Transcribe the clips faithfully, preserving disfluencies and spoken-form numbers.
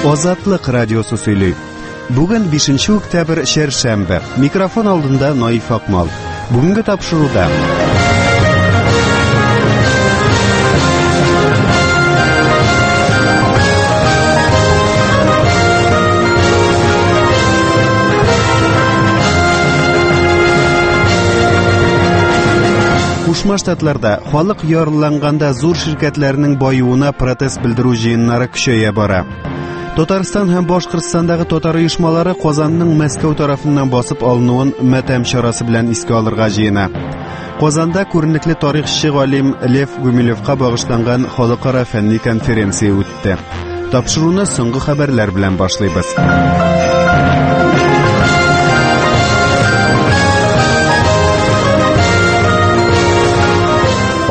Азатлык радиосы сөйли. Бүген бишенче октябрь чәршәмбе. Микрофон алдында Наиф Акмал. Бүгенге тапшыруда Кушма Штатларда халык ярлыланганда зур ширкәтләрнең баюына протест белдерү җыеннары көчәя бара. Татарстан һәм Башкортстандагы татар оешмалары Казанның Мәскәү тарафыннан басып алынуын матәм чарасы белән искә алырга җыена. Казанда күренекле тарихчы галим Лев Гумилевка багышланган халыкара фәнни конференция үтте. Тапшыруны соңгы хәбәрләр белән башлыйбыз.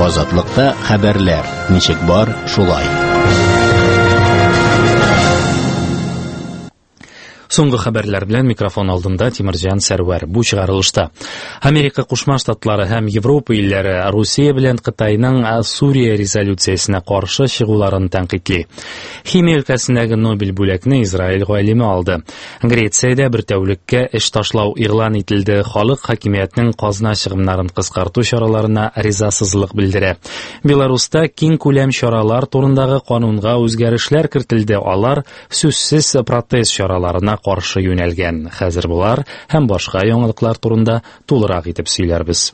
Азатлыкта хәбәрләр ничек бар, шулай. Соңгы хәбәрләр белән микрофон алдында Тимирҗан Сәрвәр. Бу чыгарылышта Америка Кушма Штатлары һәм Европа илләре Русия белән Кытайның Сурия резолюциясенә каршы чыгуларын тәнкыйтьли. Химия өлкәсендәге Нобель бүләкне Израиль галиме алды. Грециядә бер тәүлеккә эш ташлау игълан ителде. Халык хакимиятнең казна чыгымнарын кыскарту чараларына ризасызлык белдерә. Беларуста киң күләм чаралар турындагы канунга үзгәрешләр кертелде. Алар сүзсез протест чараларына каршы юнәлгән. Хәзер булар һәм башка яңалыклар турында тулырак итеп сөйләрбез.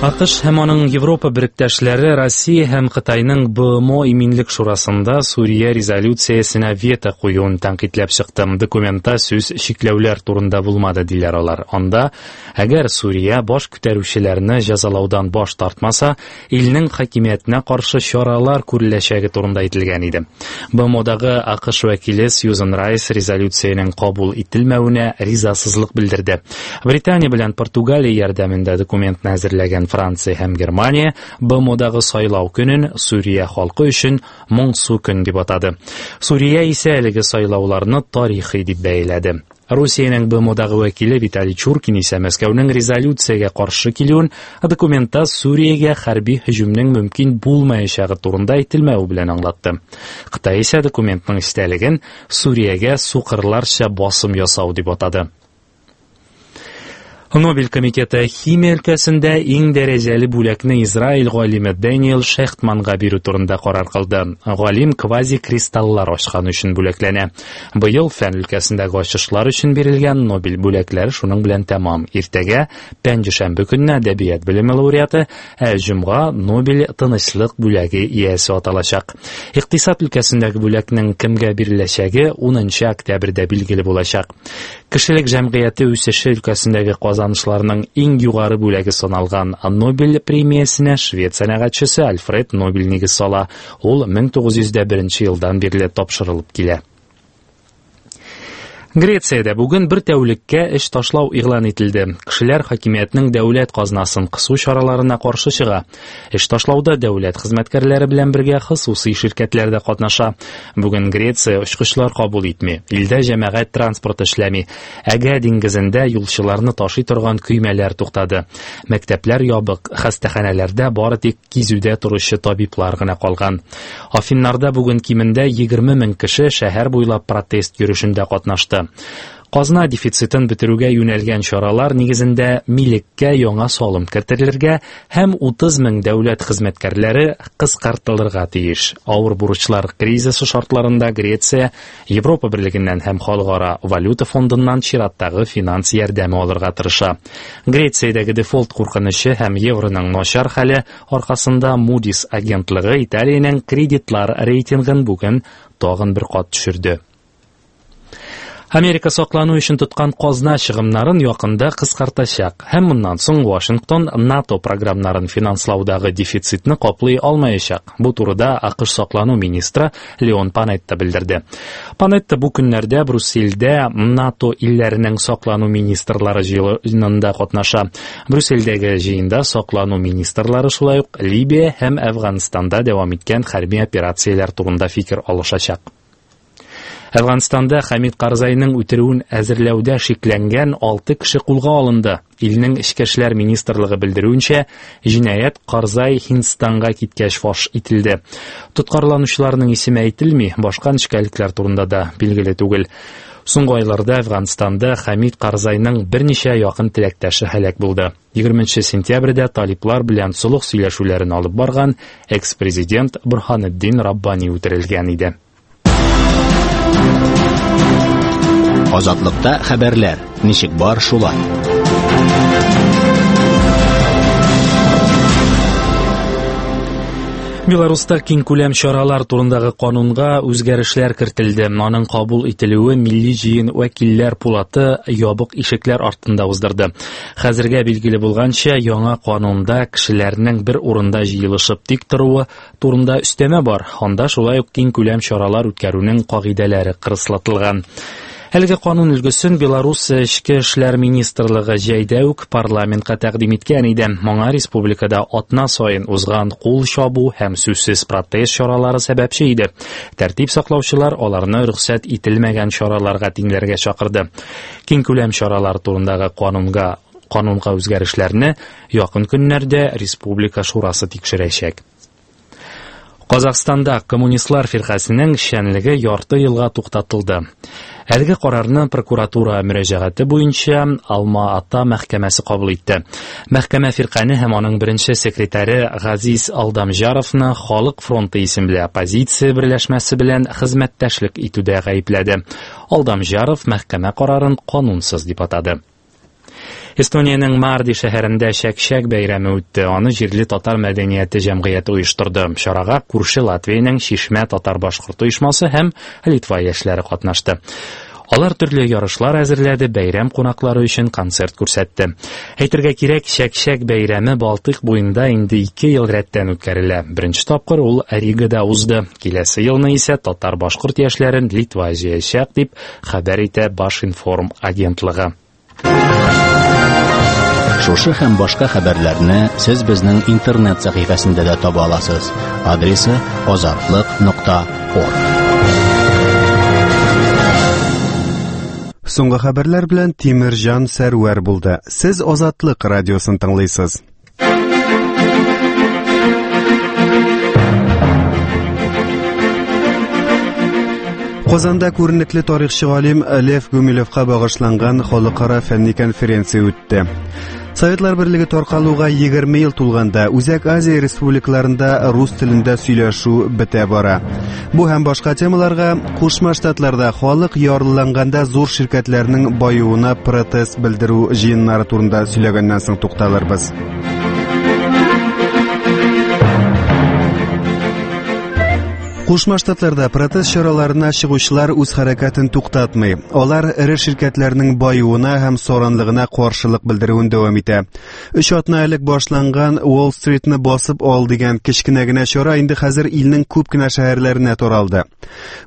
АКШ һәм аның Европа беректәшләре Россия һәм Кытайның Б М О Иминлек Шурасында Сурия резолюциясенә вето куюын тәнкыйтьләп чыкты. Документта сүз чикләүләр турында булмады, диләр алар. Анда, әгәр Сурия баш күтәрүчеләрне җәзалаудан баш тартмаса, илнең хакимиятенә каршы чаралар күреләчәге турында әйтелгән иде. Б М Одагы АКШ вәкиле Сьюзен Райс резолюциянең кабул ителмәвенә ризасызлык белдерде. Британия белән Португалия ярдәмендә документны әзерләгән Франция һәм Германия Б М Одагы сайлау көнен Сурия халкы өчен моңсу көн дип атады. Сурия исә әлеге сайлауларны тарихи дип бәяләде. Русиянең Б М Одагы вәкиле Виталий Чуркин исә Мәскәүнең резолюциягә каршы килүен, документта Суриягә хәрби һөҗүмнең мөмкин булмаячагы турында әйтелмәве белән аңлатты. Кытай исә документның эчтәлеген Суриягә сукырларча басым ясау дип атады. Нобель комитеты химия өлкәсендә иң дәрәҗәле бүләкне Израиль галиме Дэниел Шехтманга бирү турында карар кылды. Галим квазикристаллар ачкан өчен бүләкләнә. Быел фән өлкәсендәге ачышлар өчен бирелгән Нобель бүләкләре шуның белән тәмам. Иртәгә пәнҗешәмбе көнне әдәбият белеме лауреаты, ә җомга Нобель тынычлык бүләге иясе аталачак. Икътисад өлкәсендәге бүләкнең кемгә биреләчәге унынчы октябрьдә билгеле булачак. Кешелек җәмгыяте үсеше өлкәсендәге казанышларның иң югары бүләге саналган Нобель премиясенә швед сәнәгатьчесе Альфред Нобель нигез сала. Ул мең тугыз йөз дә беренче елдан бирле тапшырылып килә. Грециядә бүген бер тәүлеккә эш ташлау игълан ителде. Кешеләр хакимиятнең дәүләт казнасын кысу чараларына каршы чыга. Эш ташлауда дәүләт хезмәткәрләре белән бергә хосусый ширкәтләр дә катнаша. Бүген Греция очкычлар кабул итми, илдә җәмәгать транспорты эшләми. Әгә диңгезендә юлчыларны ташый торган көймәләр туктады. Мәктәпләр ябык, хастаханәләрдә бары тик кизүдә торучы табиблар гына калган. Афиннарда бүген кимендә егерме мең кеше шәһәр буйлап протест йөрүшендә катнашты. Казна дефицитын бетерүгә юнәлгән чаралар нигезендә милеккә яңа салым кертелергә һәм утыз мең дәүләт хезмәткәрләре кыскартылырга тиеш. Авыр бурычлар кризисы шартларында Греция Европа Берлегеннән һәм Халыкара валюта фондыннан чираттагы финанс ярдәме алырга тырыша. Грециядәге дефолт куркынычы һәм евроның начар хәле аркасында Moody's агентлыгы Италиянең кредитлар рейтингын бүген тагын бер кат төшерде. Америка саклану өчен тоткан казна чыгымнарын якында кыскартачак һәм моннан соң Вашингтон НАТО програмнарын финанслаудагы дефицитны каплый алмаячак. Бу турыда АКШ саклану министры Леон Панетта белдерде. Панетта бу көннәрдә Брюссельдә НАТО илләренең саклану министрлары җыенында катнаша. Брюссельдәге җыенда саклану министрлары шулай ук Либия һәм Әфганстанда дәвам иткән хәрби операцияләр турында фикер алышачак. Әфганстанда Хәмид Карзайның үтерүен әзерләүдә шикләнгән алты кеше кулга алынды. Илнең Эчке эшләр министрлыгы белдерүенчә, җинаять Карзай Һиндстанга киткәч фаш ителде. Тоткарланучыларның исеме әйтелми, башка нечкәлекләр турында да билгеле түгел. Соңгы айларда Әфганстанда Хәмид Карзайның берничә якын теләктәше һәлак булды. егерменче сентябрьдә талиплар белән солых сөйләшүләрен алып барган экс-президент Бурханетдин Раббани үтерелгән иде. Азатлыкта хәбәрләр ничек бар шулай. Беларуста киңкүләм чаралар турындагы канунга үзгәрешләр кертелде. Аның кабул ителүе Милли җыен вәкилләр пулаты ябык ишекләр артында уздырды. Хәзергә билгеле булганча, яңа канунда кешеләрнең бер урында җыелышып тик торуы турында өстәмә бар. Анда шулай ук киңкүләм чаралар үткәрүнең кагыйдәләре кырыслатылган. Әлеге канун өлгесен Беларусь Эчке эшләр министрлыгы җәйдә үк парламентка тәкъдим иткән иде. Моңа республикада атна саен узган кул чабу һәм сүзсез протест чаралары сәбәпче иде. Тәртип саклаучылар аларны рөхсәт ителмәгән чараларга тиңләргә чакырды. Киңкүләм чаралар турындагы канунга канунга үзгәрешләрне якын көннәрдә Республика Шурасы тикшерәчәк. Казахстанда коммунистлар фиркасының эшчәнлеге ярты елга туктатылды. Әлеге карарны прокуратура мөрәҗәгате буенча Алма-Ата мәхкәмәсе кабул итте. Мәхкәмә фиркане һәм аның беренче секретаре Газиз Алдамжаровны Халык фронты исемле оппозиция берләшмәсе белән хезмәттәшлек итүдә гаепләде. Алдамжаров мәхкәмә карарын канунсыз дип атады. Эстониянең Марди шәһәрендә Чәк-чәк бәйрәме үтте. Аны җирле татар мәдәнияте җәмгыяте оештырды. Чарага күрше Латвиянең Чишмә татар-башкорт оешмасы һәм Литва яшьләре катнашты. Алар төрле ярышлар әзерләде, бәйрәм кунаклары өчен концерт күрсәтте. Әйтергә кирәк, Чәк-чәк бәйрәме Балтыйк буенда инде ике ел рәттән үткәрелә. Беренче тапкыр ул Ригада узды. Киләсе елны исә татар-башкорт яшьләрен Литва җыячак дип хәбәр итә Башинформ агентлыгы. Шушы һәм башка хәбәрләрне сез безнең интернет сәхифәсендә дә таба аласыз. Адресы азатлык нокта орг. Соңгы хәбәрләр белән Тимирҗан Сәрвәр булды. Сез Азатлык радиосын тыңлыйсыз. Казанда күренекле тарихчы галим Лев Гумилевка багышланган халыкара фәнни конференция үтте. Советлар Берлеге таркалуга егерме ел тулганда Үзәк Азия республикаларында рус телендә сөйләшү бетә бара. Бу һәм башка темаларга Кушма Штатларда халык ярлыланганда зур ширкәтләрнең баюына протест белдерү җыеннары турында сөйләгәннән соң тукталырбыз. Кушма Штатларда протест чараларына чыгучылар үз хәрәкәтен туктатмый. Алар эре ширкәтләрнең баюына һәм саранлыгына каршылык белдерүен дәвам итә. Өч атна элек башланган Уолл Стритны басып ал дигән кечкенә генә чара инде хәзер илнең күп кенә шәһәрләренә таралды.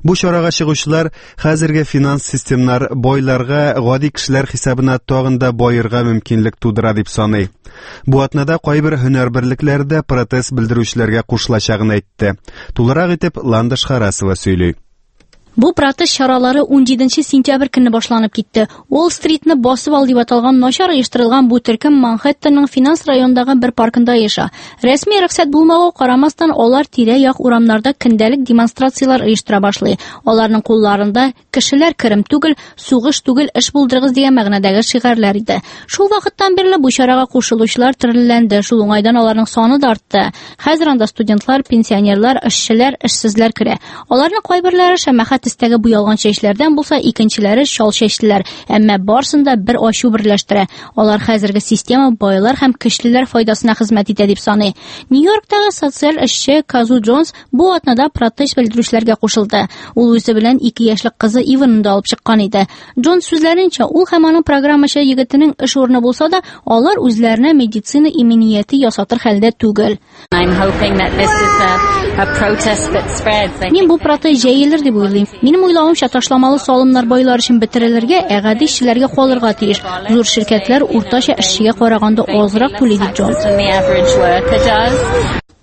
Бу чарага чыгучылар хәзерге финанс системнар байларга гади кешеләр хисабына тагын да баерга мөмкинлек тудыра дип саный. Бу атнада кайбер һөнәр берлекләре дә протест белдерүчеләргә кушылачагын әйтте. Тулырак итеп Ландыш Харасова сөйли. Бу протест чаралары ун җиденче сентябрь көнне башланып китте. Уолл Стритны басып ал дип аталган начар оештырылган бу төркем Манхэттенның финанс районындагы бер паркында яшә. Рәсми рөхсәт булмауга карамастан, алар тирә-як урамнарда көндәлек демонстрацияләр оештыра башлый. Аларның кулларында кешеләр керем түгел, сугыш түгел, эш булдырыгыз дигән мәгънәдәге шигарьләр иде. Шул вакыттан бирле бу чарага кушылучылар төрлеләнде. Шул уңайдан аларның саны да артты. Хәзер анда студентлар, пенсионерлар, эшчеләр, эшсезләр керә. Аларның кайберләре шәмәхә төстәге буялган чәчләрдән булса, икенчеләре чал чәчлеләр. Әмма барсын да бер ачу берләштерә. Алар хәзерге система байлар һәм көчлеләр файдасына хезмәт итә дип саный. Нью-Йорктагы социаль эшче Казу Джонс бу атнада протест белдерүчеләргә кушылды. Ул үзе белән ике яшьлек кызы Иванны да алып чыккан иде. Джонс сүзләренчә, ул һәм аның программачы егетенең эш урыны булса да, алар үзләренә медицина иминияте ясатыр хәлдә түгел. Мин бу протест җәелер дип уйлыйм. Минем уйлавымча, ташламалы салымнар байлар өчен бетерелергә, ә гади эшчеләргә калырга тиеш. Зур ширкәтләр уртача эшчегә караганда азрак түли, дип Джонс.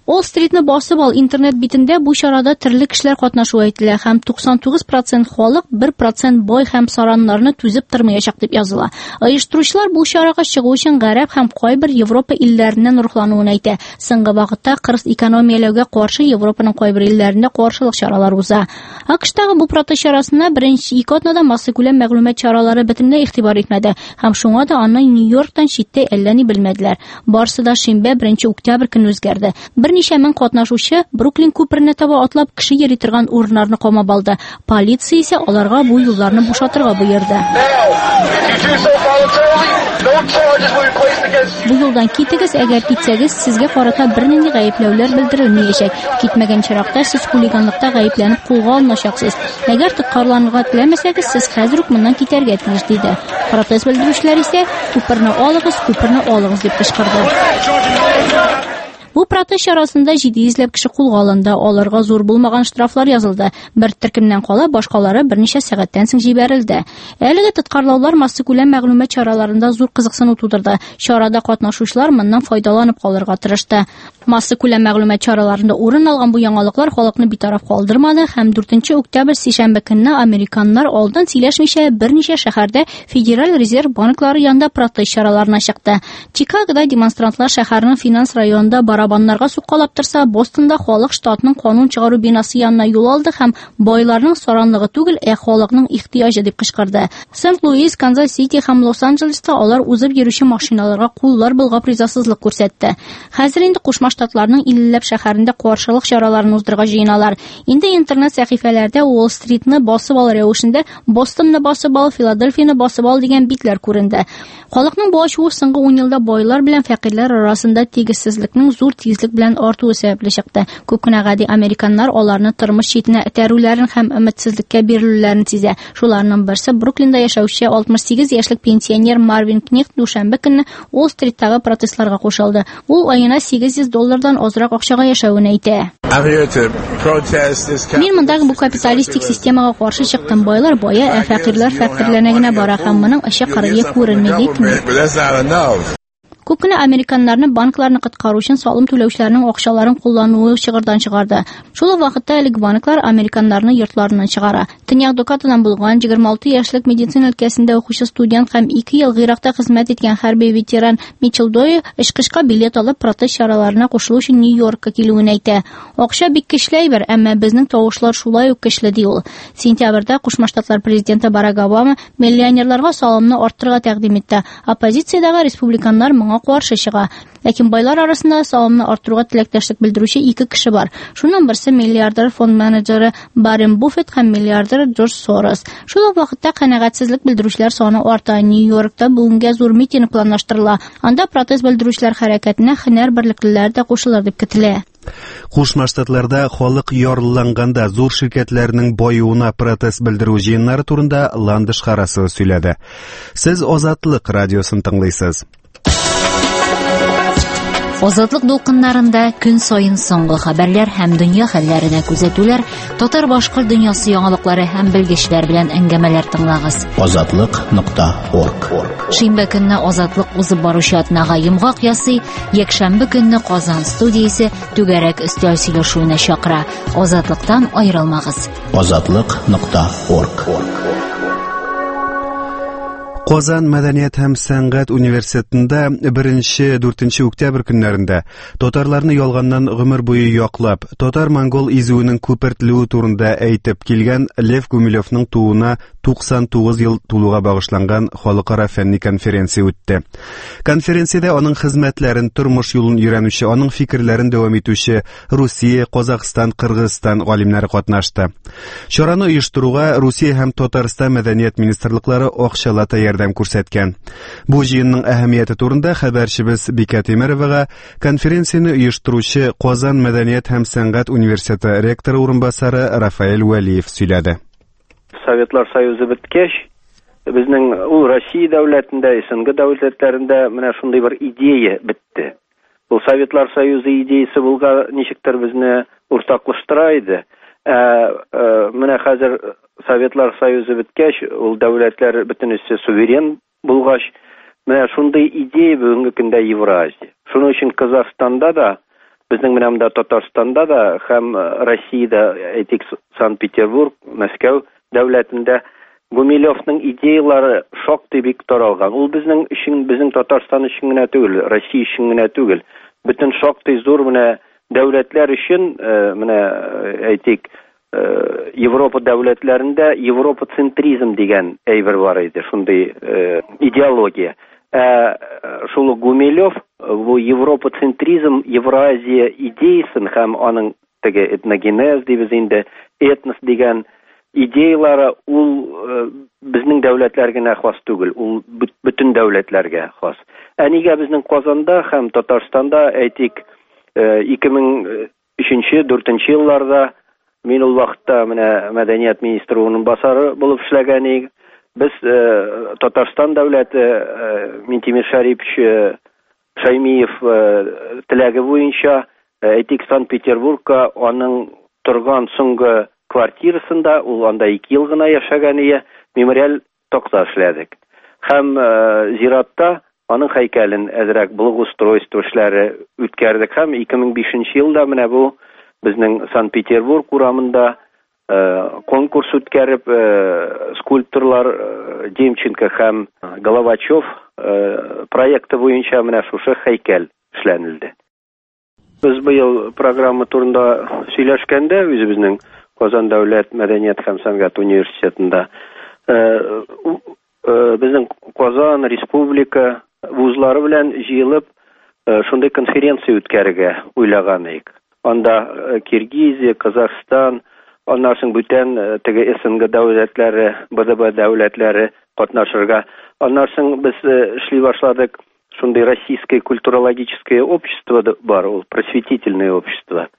Уолл-стритны басып ал интернет битендә бу чарада төрле кешеләр катнашуы әйтелә һәм туксан тугыз процент халык бер процент бай һәм сараннарны түзеп тормаячак дип языла. Оештыручылар бу чарага чыгу өчен Гарәп һәм кайбер Европа илләреннән рухлануын әйтә. Соңгы вакытта кырыс экономияләүгә каршы Европаның кайбер илләрендә каршылык чаралары уза. АКШтагы бу протест чарасына беренче ике атнада массакүләм мәгълүмат чаралары бөтенләй игътибар итмәде һәм шуңа да аны Нью-Йорктан читтә әллә ни белмәделәр. Барысы да шимбә беренче октябрь көнне үзгәрде. Берничә мең катнашучы Бруклин күперенә таба атлап кеше йөри торган урыннарны камап алды. Полиция исә аларга бу юлларны бушатырга боерды. Бу юлдан китегез, әгәр китсәгез, сезгә карата бернинди гаепләүләр белдерелмәячәк. Китмәгән чиракта сез хулиганлыкта гаепләнеп кулга алыначаксыз. Әгәр тоткарланырга теләмәсәгез, сез хәзер үк моннан китәргә тиеш, диде. Протест белдерүчеләр исә күперне алыгыз, күперне алыгыз дип кычкырды. Бу протест чарасында җиде йөзләп кеше кулга алынды. Аларга зур булмаган штрафлар язылды. Бер төркемнән кала башкалары берничә сәгатьтән соң җибәрелде. Әлеге тоткарлаулар массакүләм мәгълүмат чараларында зур кызыксыну тудырды. Чарада катнашучылар моннан файдаланып калырга тырышты. Массакүләм мәгълүмат чараларында урын алган бу яңалыклар халыкны битараф калдырмады һәм дүртенче октябрь сишәмбе көнне американнар алдан сөйләшмичә берничә шәһәрдә Федераль резерв банклары янында протест чараларына чыкты. Чикагода демонстрантлар шәһәрнең финанс районында барабаннарга суккалап торса, Бостонда халык штатның канун чыгару бинасы янына юл алды һәм байларның саранлыгы түгел, ә халыкның ихтыяҗы дип кычкырды. Сент-Луис, Канзас-Сити һәм Лос-Анджелеста алар узып йөрүче машиналарга куллар болгап ризасызлык күрсәтте. Хәзер инде Кушма Штатларның иллеләп шәһәрендә каршылык чараларын уздырырга җыеналар. Инде интернет сәхифәләрдә Уолл-стритны басып ал рәвешендә Бостонны басып ал, Филадельфияны басып ал дигән битләр күренде. Халыкның бу ачуы соңгы ун елда байлар белән фәкыйрьләр арасында тигезсезлекнең зур тизлек белән артуы сәбәпле чыкты. Күп кенә гади американнар аларны тормыш читенә этәрүләрен һәм өметсезлеккә бирелүләрен сизә. Шуларның берсе Бруклинда яшәүче алтмыш сигез яшьлек пенсионер Марвин Кнехт дүшәмбе көнне Уолл-стриттагы протестларга кушылды. Ул аена сигез йөз доллардан азрак акчага яшәвен әйтә. Мин мондагы бу капиталистик системага каршы чыктым. Байлар бая, ә фәкыйрьләр фәкыйрьләнә генә бара һәм моның очы кырые күренми, ди Кнехт. Күп кенә американнарны банкларны коткару өчен салым түләүчеләрнең акчаларын куллануы чыгырдан чыгарды. Шул ук вакытта әлеге банклар американнарны йортларыннан чыгара. Төньяк Дакотадан булган егерме алты яшьлек медицина өлкәсендә укучы студент һәм ике ел Гыйракта хезмәт иткән хәрби ветеран Мичел Дойе очкычка билет алып протест чараларына кушылу өчен Нью-Йоркка килүен әйтә. Акча бик көчле әйбер, әмма безнең тавышлар шулай ук көчле, ди ул. Сентябрьдә Кушма Штатлар президенты Барак Обама миллионерларга салымны арттырырга тәкъдим итте. Оппозициядәге республиканнар моңа каршы чыга. Ләкин байлар арасында салымны арттыруга теләктәшлек белдерүче ике кеше бар. Шуннан берсе миллиардер фонд менеджеры Баррен Буффет һәм миллиардер Джордж Сорос. Шул ук вакытта канәгатьсезлек белдерүчеләр саны арта. Нью-Йоркта бүгенгә зур митинг планлаштырыла. Анда протест белдерүчеләр хәрәкәтенә һөнәр берлеклеләре дә кушылыр дип көтелә. Кушма Штатларда халык ярлыланганда зур ширкәтләрнең баюына протест белдерү җыеннары турында Ландыш Харасова сөйләде. Сез Азатлык радиосын тыңлыйсыз. Азатлык дулкыннарында көн саен соңгы хәбәрләр һәм дөнья хәлләренә күзәтүләр, татар-башкорт дөньясы яңалыклары һәм белгечләр белән әңгәмәләр тыңлагыз. Азатлык нокта орг. Шимбә көнне Азатлык узып баручы атнага йомгак ясый, якшәмбе көнне Казан студиясе түгәрәк өстәл сөйләшүенә чакыра. Азатлыктан аерылмагыз. Азатлык нокта орг. Казан мәдәният һәм сәнгать университетында беренче дүртенче октябрь көннәрендә татарларны ялганнан гомер буе яклап, татар-монгол изүенең күпертелүе турында әйтеп килгән Лев Гумилевның тууына туксан тугыз ел тулуга багышланган халыкара фәнни конференция үтте. Конференциядә аның хезмәтләрен, тормыш юлын өйрәнүче, аның фикерләрен дәвам итүче Русия, Казахстан, Кыргызстан галимнәре катнашты. Чараны оештыруга Русия һәм Татарстан мәдәният министрлыклары акчалата ярдәм күрсәткән. Бу җыенның әһәмияте турында хәбәрчебез Бикә Тимеровага конференцияне оештыручы Казан мәдәният һәм сәнгать университеты ректоры урынбасары Рафаэль Вәлиев сөйләде. Советлар Союзы беткәч, безнең ул Россия дәүләтендә, СНГ дәүләтләрендә менә шундый бер идея бетте. Ул Советлар Союзы идеясы булга ничектер безне уртаклаштыра иде. Ә, менә хәзер Советлар Союзы беткәч, ул дәүләтләр бөтенесе суверен булгач, менә шундый идея бүгенге көндә Евразия. Шуның өчен Казахстанда да Безнең менә монда Татарстанда да һәм Россиядә, әйтик, Санкт-Петербург, Мәскәү дәүләтендә Гумилевның идеялары шактый бик таралган. Ул безнең өчен, безнең Татарстан өчен генә түгел, Россия өчен генә түгел. Бөтен шактый зур менә дәүләтләр өчен, менә әйтик, Европа дәүләтләрендә европоцентризм дигән әйбер бар иде, шундый идеология. Ә шул Гумилев бу европоцентризм, Евразия идеясын һәм аның теге этногенез дибез инде, этнос дигән идеялары ул безнең дәүләтләр генә хас түгел, ул бөтен дәүләтләргә хас. Ә нигә безнең Казанда һәм Татарстанда, әйтик, ике мең өченче, дүртенче елларда мин ул вакытта менә мәдәният министры урынбасары булып эшләгән идем. Без Татарстан дәүләте Минтимер Шәрипович Шаймиев теләге буенча, әйтик, Санкт-Петербургка аның торган соңгы квартирасында, ул анда ике ел гына яшәгән иде, мемориаль такта эшләдек. Һәм зиратта аның һәйкәлен әзрәк благоустройство эшләре үткәрдек. Һәм ике мең бишенче елда менә бу безнең Санкт-Петербург урамында конкурс үткәреп, скульпторлар Демченко һәм Головачев проекты буенча менә шушы һәйкәл эшләнелде. Без быел программа турында сөйләшкәндә, үзебезнең Казан дәүләт мәдәният һәм сәнгать университетында безнең Казан республика вузлары белән җыелып шундый конференция үткәрергә уйлаган идек. Анда Киргизия, Казахстан, аннан соң бүтән теге СНГ дәүләтләре, Б Д Б дәүләтләре катнашырга. Аннан соң без эшли башладык шундый Российское культурологическое общество бар, ул просветительное общество.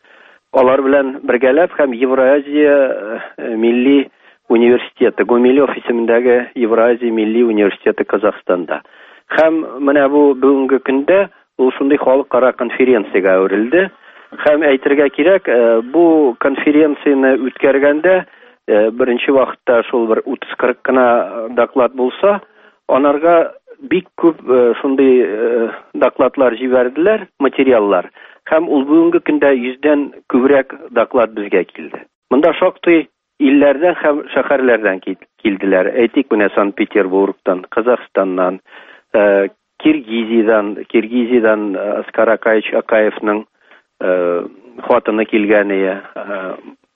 Алар белән бергәләп һәм Евразия милли университеты, Гумилев исемендәге Евразия милли университеты Казахстанда. Һәм менә бу бүгенге көндә ул шундый халыкара конференциягә әверелде. Һәм әйтергә кирәк, бу конференцияне үткәргәндә беренче вакытта шул бер утыз кырык кына доклад булса, анарга бик күп шундый докладлар җибәрделәр, материаллар. Һәм ул бүгенге көндә йөздән күбрәк доклад безгә килде. Монда шактый илләрдән һәм шәһәрләрдән килделәр. Әйтик, менә Санкт-Петербургтан, Казахстаннан, Киргизиядән, Киргизиядән Аскар Акаевич Акаевның хатыны килгән иде,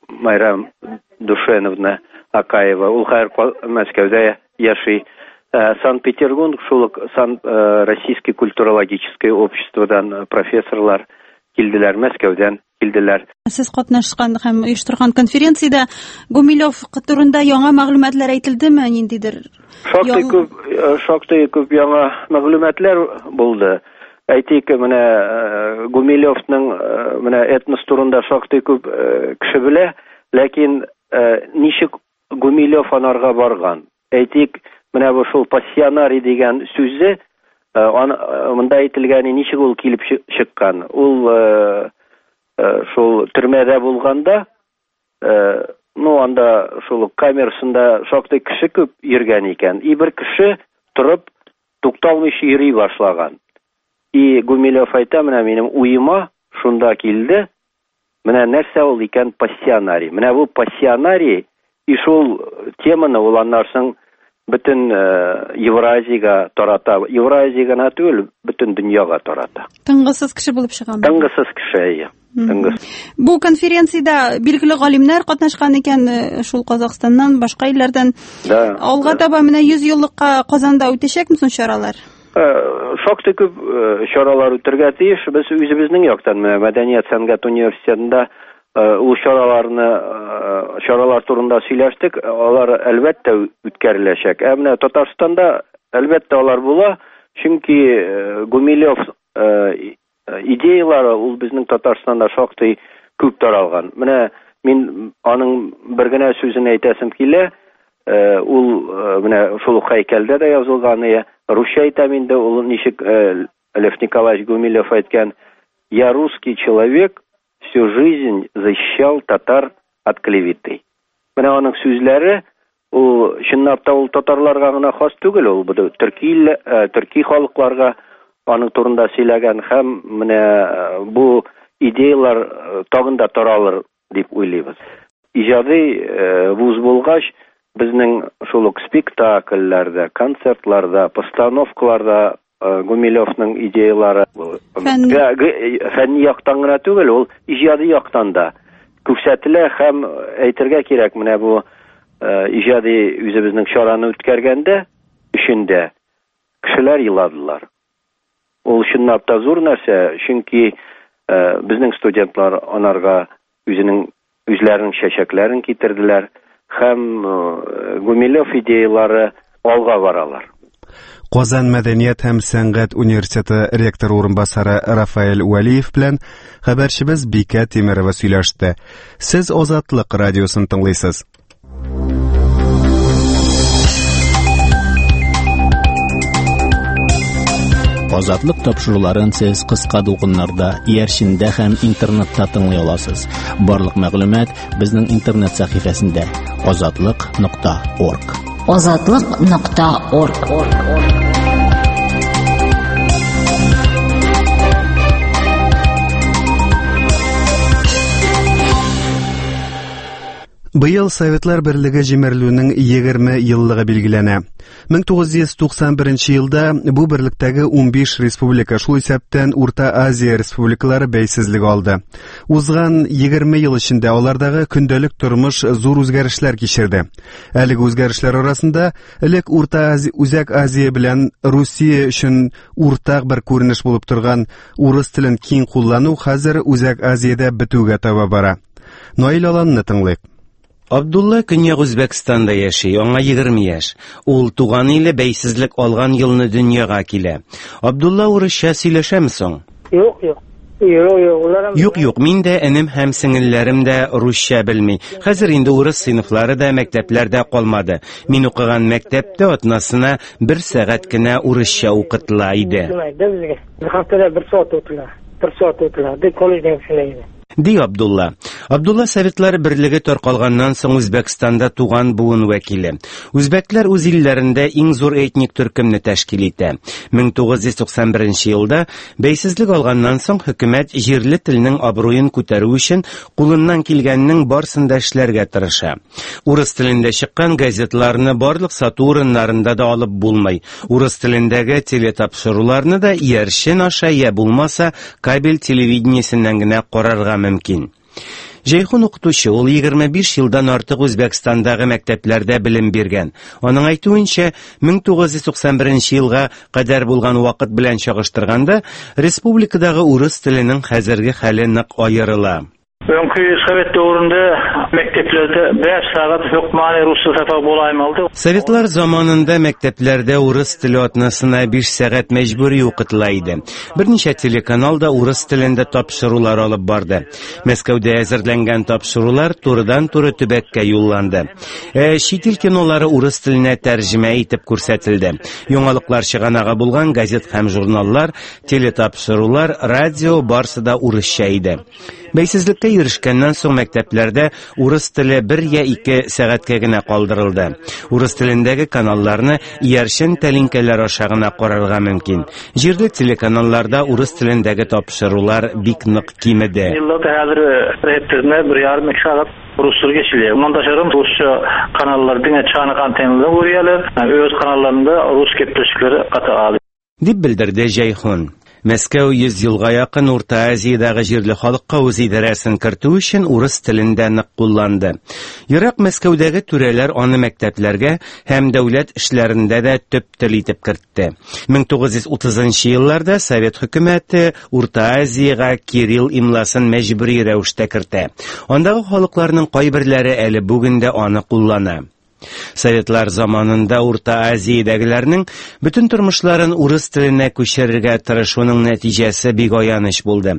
Майрам Душеновна Акаева. Ул хәзер Мәскәүдә яши. Санкт-Петербург, шул ук Российское культурологическое обществодан профессорлар килделәр, Мәскәүдән килделәр. Сез катнашкан һәм оештырган конференциядә Гумилев турында яңа мәгълүматлар әйтелдеме, ниндидер? Шактый күп, шактый күп яңа мәгълүматлар булды. Әйтик, менә Гумилевның менә этнос турында шактый күп кеше белә, ләкин ничек Гумилев анарга барган? Әйтик, менә бу шул пассионарий дигән сүзе, монда әйтелгәне ничек ул килеп чыккан? Ул шул төрмәдә булганда, ну анда шул камерасында шактый кеше күп йөргән икән. И бер кеше торып тукталмыйча йөри башлаган. И Гумилев әйтә, менә минем уема шунда килде. Менә нәрсә ул икән пассионарий. Менә бу пассионарий и шул теманы ул аннан соң бөтен Евразиягә тарата. Евразия гына түгел, бөтен дөньяга тарата. Тынгысыз кеше булып чыган. Тынгысыз кеше, әйе. Тынгысыз. Бу конференциядә билгеле галимнәр катнашкан икән, шул Казахстаннан, башка илләрдән. Да. Алга таба менә йөз еллыкка Казанда үтәчәкме соң чаралар? Шактый күп чаралар үтәргә тиеш. Без үзебезнең яктан менә Мәдәният сәнгать университетында ул чараларны, чаралар турында сөйләштек. Алар әлбәттә үткәреләчәк. Ә менә Татарстанда әлбәттә алар була, чөнки Гумилев идеялары ул безнең Татарстанда шактый күп таралган. Менә мин аның бер генә сүзен әйтәсем килә. Ул менә шул ук һәйкәлдә дә язылган, русча әйтәм инде, ул ничек Лев Николаевич Гумилев әйткән: «Я русский человек, всю жизнь защищал татар от клеветы». Менә аның сүзләре, ул чынлап та ул татарларга гына хас түгел, ул бу төрки, төрки халыкларга аның турында сөйләгән һәм менә бу идеялар тагын да таралыр дип уйлыйбыз. Иҗади вуз булгач, безнең шул ук спектакльләрдә, концертларда, постановкаларда Гумилевның идеялары фәнни яктан гына түгел, ул иҗади яктан да күрсәтелә һәм әйтергә кирәк, менә бу иҗади үзебезнең чараны үткәргәндә эчендә кешеләр еладылар. Ул чынлап та зур нәрсә, чөнки безнең студентлар анарга үзенең үзләренең чәчәкләрен китерделәр һәм Гумилев идеялары алга баралар. Казан мәдәният һәм сәнгать университеты ректоры урынбасары Рафаэль Вәлиев белән хәбәрчебез Бикә Тимерова сөйләште. Сез Азатлык радиосын тыңлыйсыз. Азатлык тапшыруларын сез кыска дулкыннарда, иярчендә һәм интернетта тыңлый аласыз. Барлык мәгълүмат безнең интернет сәхифәсендә азатлык нокта орг. азатлык нокта орг. Быел Советлар Берлеге җимерелүнең егерме еллыгы билгеләнә. мең тугыз йөз туксан беренче елда бу берлектәге унбиш республика, шул исәптән Урта Азия республикалары бәйсезлек алды. Узган егерме ел эчендә алардагы көндәлек тормыш зур үзгәрешләр кичерде. Әлеге үзгәрешләр арасында элек Урта Азия, Үзәк Азия белән Русия өчен уртак бер күренеш булып торган урыс телен киң куллану хәзер Үзәк Азиядә бетүгә таба бара. Наил Аланны тыңлыйк. Абдулла Көньяк Үзбәкстанда яши, аңа егерме яшь. Ул туган иле бәйсезлек алган елны дөньяга килә. Абдулла урысча сөйләшәме соң? Юк, юк. Юк, юк, улар Юк, юк, мин дә энем һәм сеңелләрем дә русча белми. Хәзер инде урыс сыйныфлары да мәктәпләрдә калмады. Мин укыган мәктәптә атнасына бер сәгать кенә урысча укытыла иде. Haftada bir soat o'tila. Bir soat o'tila. Deb kollejdan shunday. Ди Абдулла. Абдулла Советлар Берлеге таркалганнан соң Үзбәкстанда туган буын вәкиле. Үзбәкләр үз илләрендә иң зур этник төркемне тәшкил итә. мең тугыз йөз туксан беренче елда бәйсезлек алганнан соң хөкүмәт җирле телнең абруен күтәрү өчен кулыннан килгәннең барысын да эшләргә тырыша. Урыс телендә чыккан газетларны барлык сату урыннарында да алып булмый. Урыс телендәге телетапшыруларны да иярчен аша я булмаса кабель телевидениесеннән генә карарга мөмкин. Җәйхун укытучы, ул егерме биш елдан артык Үзбәкстандагы мәктәпләрдә белем биргән. Аның әйтүенчә, мең тугыз йөз туксан беренче елга кадәр булган вакыт белән чагыштырганда, республикадагы урыс теленең хәзерге хәле нык аерыла. Önkü Sovet dövründe mekteplerde beş saat hökmani rusça sapak bolaymalıdı. Советлар заманында мәктәпләрдә урыс теле атнасына биш сәгать мәҗбүри укытыла иде. Берничә телеканал да урыс телендә тапшырулар алып барды. Мәскәүдә әзерләнгән тапшырулар турыдан-туры төбәккә юлланды. Ә чит ил кинолары урыс теленә тәрҗемә итеп күрсәтелде. Яңалыклар чыганагы булган газет һәм журналлар, телетапшырулар, радио барсы да урысча иде. Бәйсезлеккә ирешкәннән соң мәктәпләрдә урыс теле бер я ике сәгатькә генә калдырылды. Урыс телендәге каналларны иярчен тәлинкәләр аша гына карарга мөмкин. Җирле телеканалларда урыс телендәге тапшырулар бик нык кимеде. Rusça geçiliyor. Ondan daşarım Rusça kanallar diňe çanak antenleri vuruyorlar. Öz kanallarında Rus gepleşikleri katı alıyor. Дип белдерде Җәйхун. Мәскәү йөз елга якын Урта Азиядагы җирле халыкка үз идарәсен кертү өчен урыс телендә нык кулланды. Ерак Мәскәүдәге түрәләр аны мәктәпләргә һәм дәүләт эшләрендә дә төп тел итеп кертте. мең тугыз йөз утызынчы елларда Совет хөкүмәте Урта Азиягә кирилл имласын мәҗбүри рәвештә кертә. Андагы халыкларның кайберләре әле бүген дә аны куллана. Советлар заманында Урта Азиядәгеләрнең бөтен тормышларын урыс теленә күчерергә тырышуның нәтиҗәсе бик аяныч булды.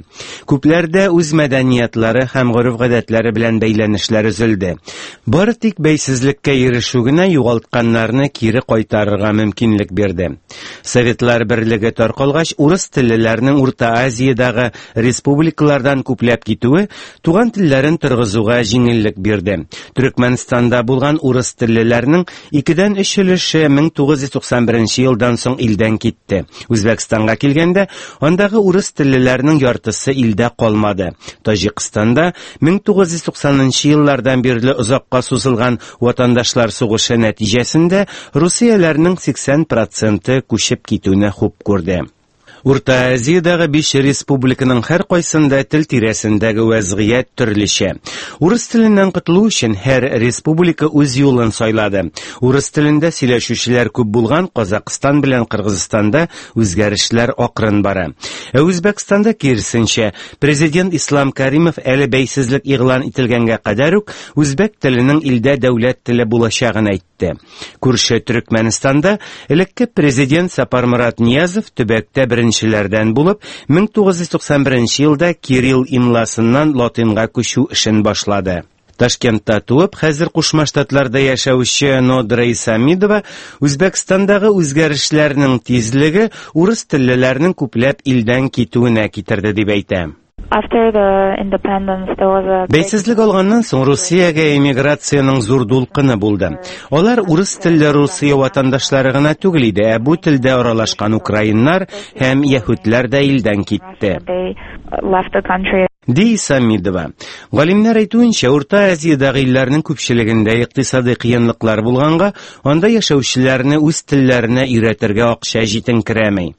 Күпләрдә үз мәдәниятлары һәм гореф-гадәтләре белән бәйләнешләр өзелде. Бары тик бәйсезлеккә ирешү генә югалтканнарны кире кайтарырга мөмкинлек бирде. Советлар Берлеге таркалгач, урыс теллеләрнең Урта Азиядагы республикалардан күпләп китүе туган телләрен торгызуга җиңеллек бирде. Төркмәнстанда булган урыс теллеләрнең икедән өч өлеше мең тугыз йөз туксан беренче елдан соң илдән китте. Үзбәкстанга килгәндә, андагы урыс теллеләрнең яртысы илдә калмады. Таҗикстанда мең тугыз йөз туксанынчы еллардан бирле озакка сузылган ватандашлар сугышы нәтиҗәсендә русияләрнең сиксән проценты күчеп китүне хуп күрде. Урта Азиядагы биш республиканың һәр кайсында тел тирәсендәге вәзгыять төрлечә. Урыс теленнән котылу өчен һәр республика үз юлын сайлады. Урыс телендә сөйләшүчеләр күп булган Казакъстан белән Кыргызстанда үзгәрешләр акрын бара. Ә Үзбәкстанда киресенчә, президент Ислам Каримов әле бәйсезлек игълан ителгәнгә кадәр үк үзбәк теленең илдә дәүләт теле булачагын әйтте. Күрше Төркмәнстанда элекке президент Сапармурат Ниязов төбәктә беренчеләрдән булып мең тугыз йөз туксан беренче елда кирилл имласыннан латинга күчү эшен башлады. Ташкентта туып, хәзер Кушма Штатларда яшәүче Нодра Исамидова Үзбәкстандагы үзгәрешләрнең тизлеге урыс теллеләрнең күпләп илдән китүенә китерде дип әйтә. After the independence, there was a big Бәйсезлек алганнан соң Русиягә эмиграциянең зур дулкыны булды. Алар урыс телле Русия ватандашлары гына түгел иде, ә бу телдә аралашкан украиннар һәм яһүдләр дә илдән китте. They left the country. Ди Исамидова. Галимнәр әйтүенчә, Урта Азиядагы илләрнең күпчелегендә икътисади кыенлыклар булганга, анда яшәүчеләрне үз телләренә өйрәтергә акча җитенкерәми.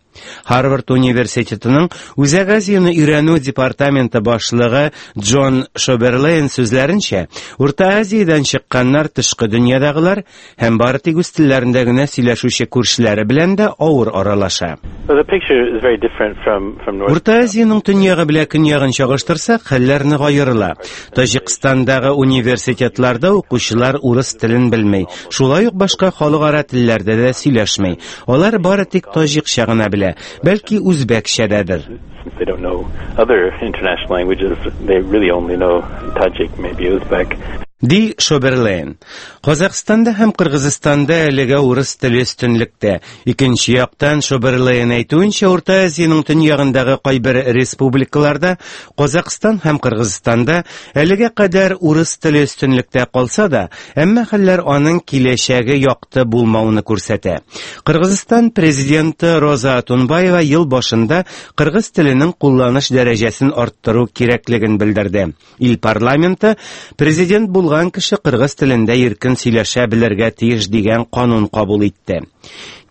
Harvard университетының Үзәк Азияны өйрәнү департаменты башлыгы Джон Шоберлейн сүзләренчә, Урта Азиядән чыкканнар тышкы дөньядагылар һәм бары тик үз телләрендә генә сөйләшүче күршеләре белән дә авыр аралаша. So the picture is very different from, from North Урта Азиянең төньягы белән көньягын чагыштырсак, хәлләр нык аерыла. Таҗикстандагы университетларда укучылар урыс телен белми, шулай ук башка халыкара телләрдә дә сөйләшми. Алар бары тик таҗикча гына белә, бәлки үзбәкчәдәдер. Since they don't know other international languages, they really only know Tajik, maybe Uzbek. Ди Шоберлейн. Казакъстанда һәм Кыргызстанда әлегә урыс теле өстенлектә. Икенче яктан Шоберлейн әйтүенчә, Урта Азиянең төньягындагы кайбер республикаларда, Казакъстан һәм Кыргызстанда әлегә кадәр урыс теле өстенлектә калса да, әмма хәлләр аның киләчәге якты булмауны күрсәтә. Кыргызстан президенты Роза Отунбаева ел башында кыргыз теленең кулланыш дәрәҗәсен арттыру кирәклеген белдерде. Ил парламенты президент булган кеше кыргыз телендә иркен сөйләшә белергә тиеш дигән канун кабул итте.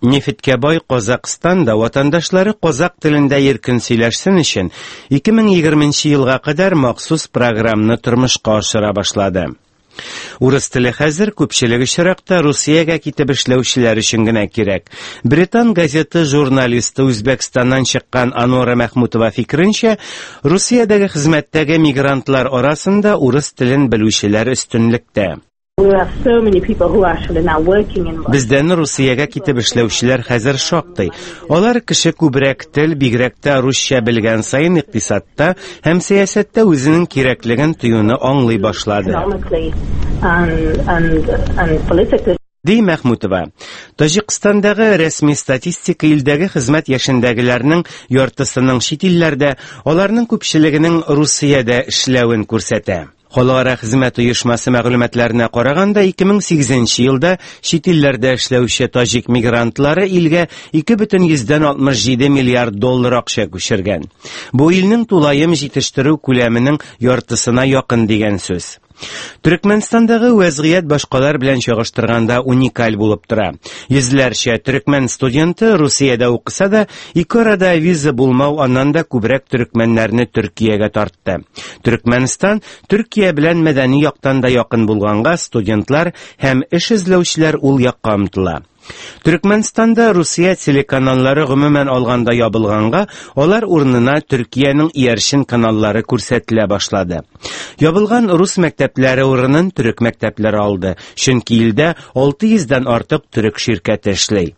Нефтькә бай Казакъстанда ватандашлары казак телендә иркен сөйләшсен өчен ике мең егерменче елга кадәр махсус программаны тормышка ашыра башлады. Урыс теле хәзер күпчелек очракта Русиягә китеп эшләүчеләр өчен генә кирәк. Британ газеты журналисты Үзбәкстаннан чыккан Анора Мәхмүтова фикеренчә, Русиядәге хезмәттәге мигрантлар арасында урыс телен белүчеләр өстенлектә. We have so many people who are actually now working in Бездән Русиягә китеп эшләүчеләр хәзер шактый. Алар кеше күбрәк тел, бигрәк тә русча белгән саен икътисадта һәм сәясәттә үзенең кирәклеген тоюны аңлый башлады. economically and, and, and politically. Ди Мәхмүтова. Таҗикстандагы рәсми статистика илдәге хезмәт яшендәгеләрнең яртысының чит илләрдә, аларның күпчелегенең Русиядә эшләвен күрсәтә. Халыкара хезмәт оешмасы мәгълүматларына караганда, ике мең сигезенче елда чит илләрдә эшләүче таҗик мигрантлары илгә ике бөтен йөздән алтмыш җиде миллиард доллар акча күчергән. Бу илнең тулаем җитештерү күләменең яртысына якын дигән сүз. Төркмәнстандагы вәзгыять башкалар белән чагыштырганда уникаль булып тора. Йөзләрчә төркмән студенты Русиядә укыса да, ике арада виза булмау аннан да күбрәк төркмәннәрне Төркиягә тартты. Төркмәнстан Төркия белән мәдәни яктан да якын булганга студентлар һәм эш эзләүчеләр ул якка омтыла. Төркмәнстанда Русия телеканаллары гомумән алганда ябылганга, алар урынына Төркиянең иярчен каналлары күрсәтелә башлады. Ябылган рус мәктәпләре урынын төрек мәктәпләре алды, чөнки илдә алты йөздән артык төрек ширкәте эшли.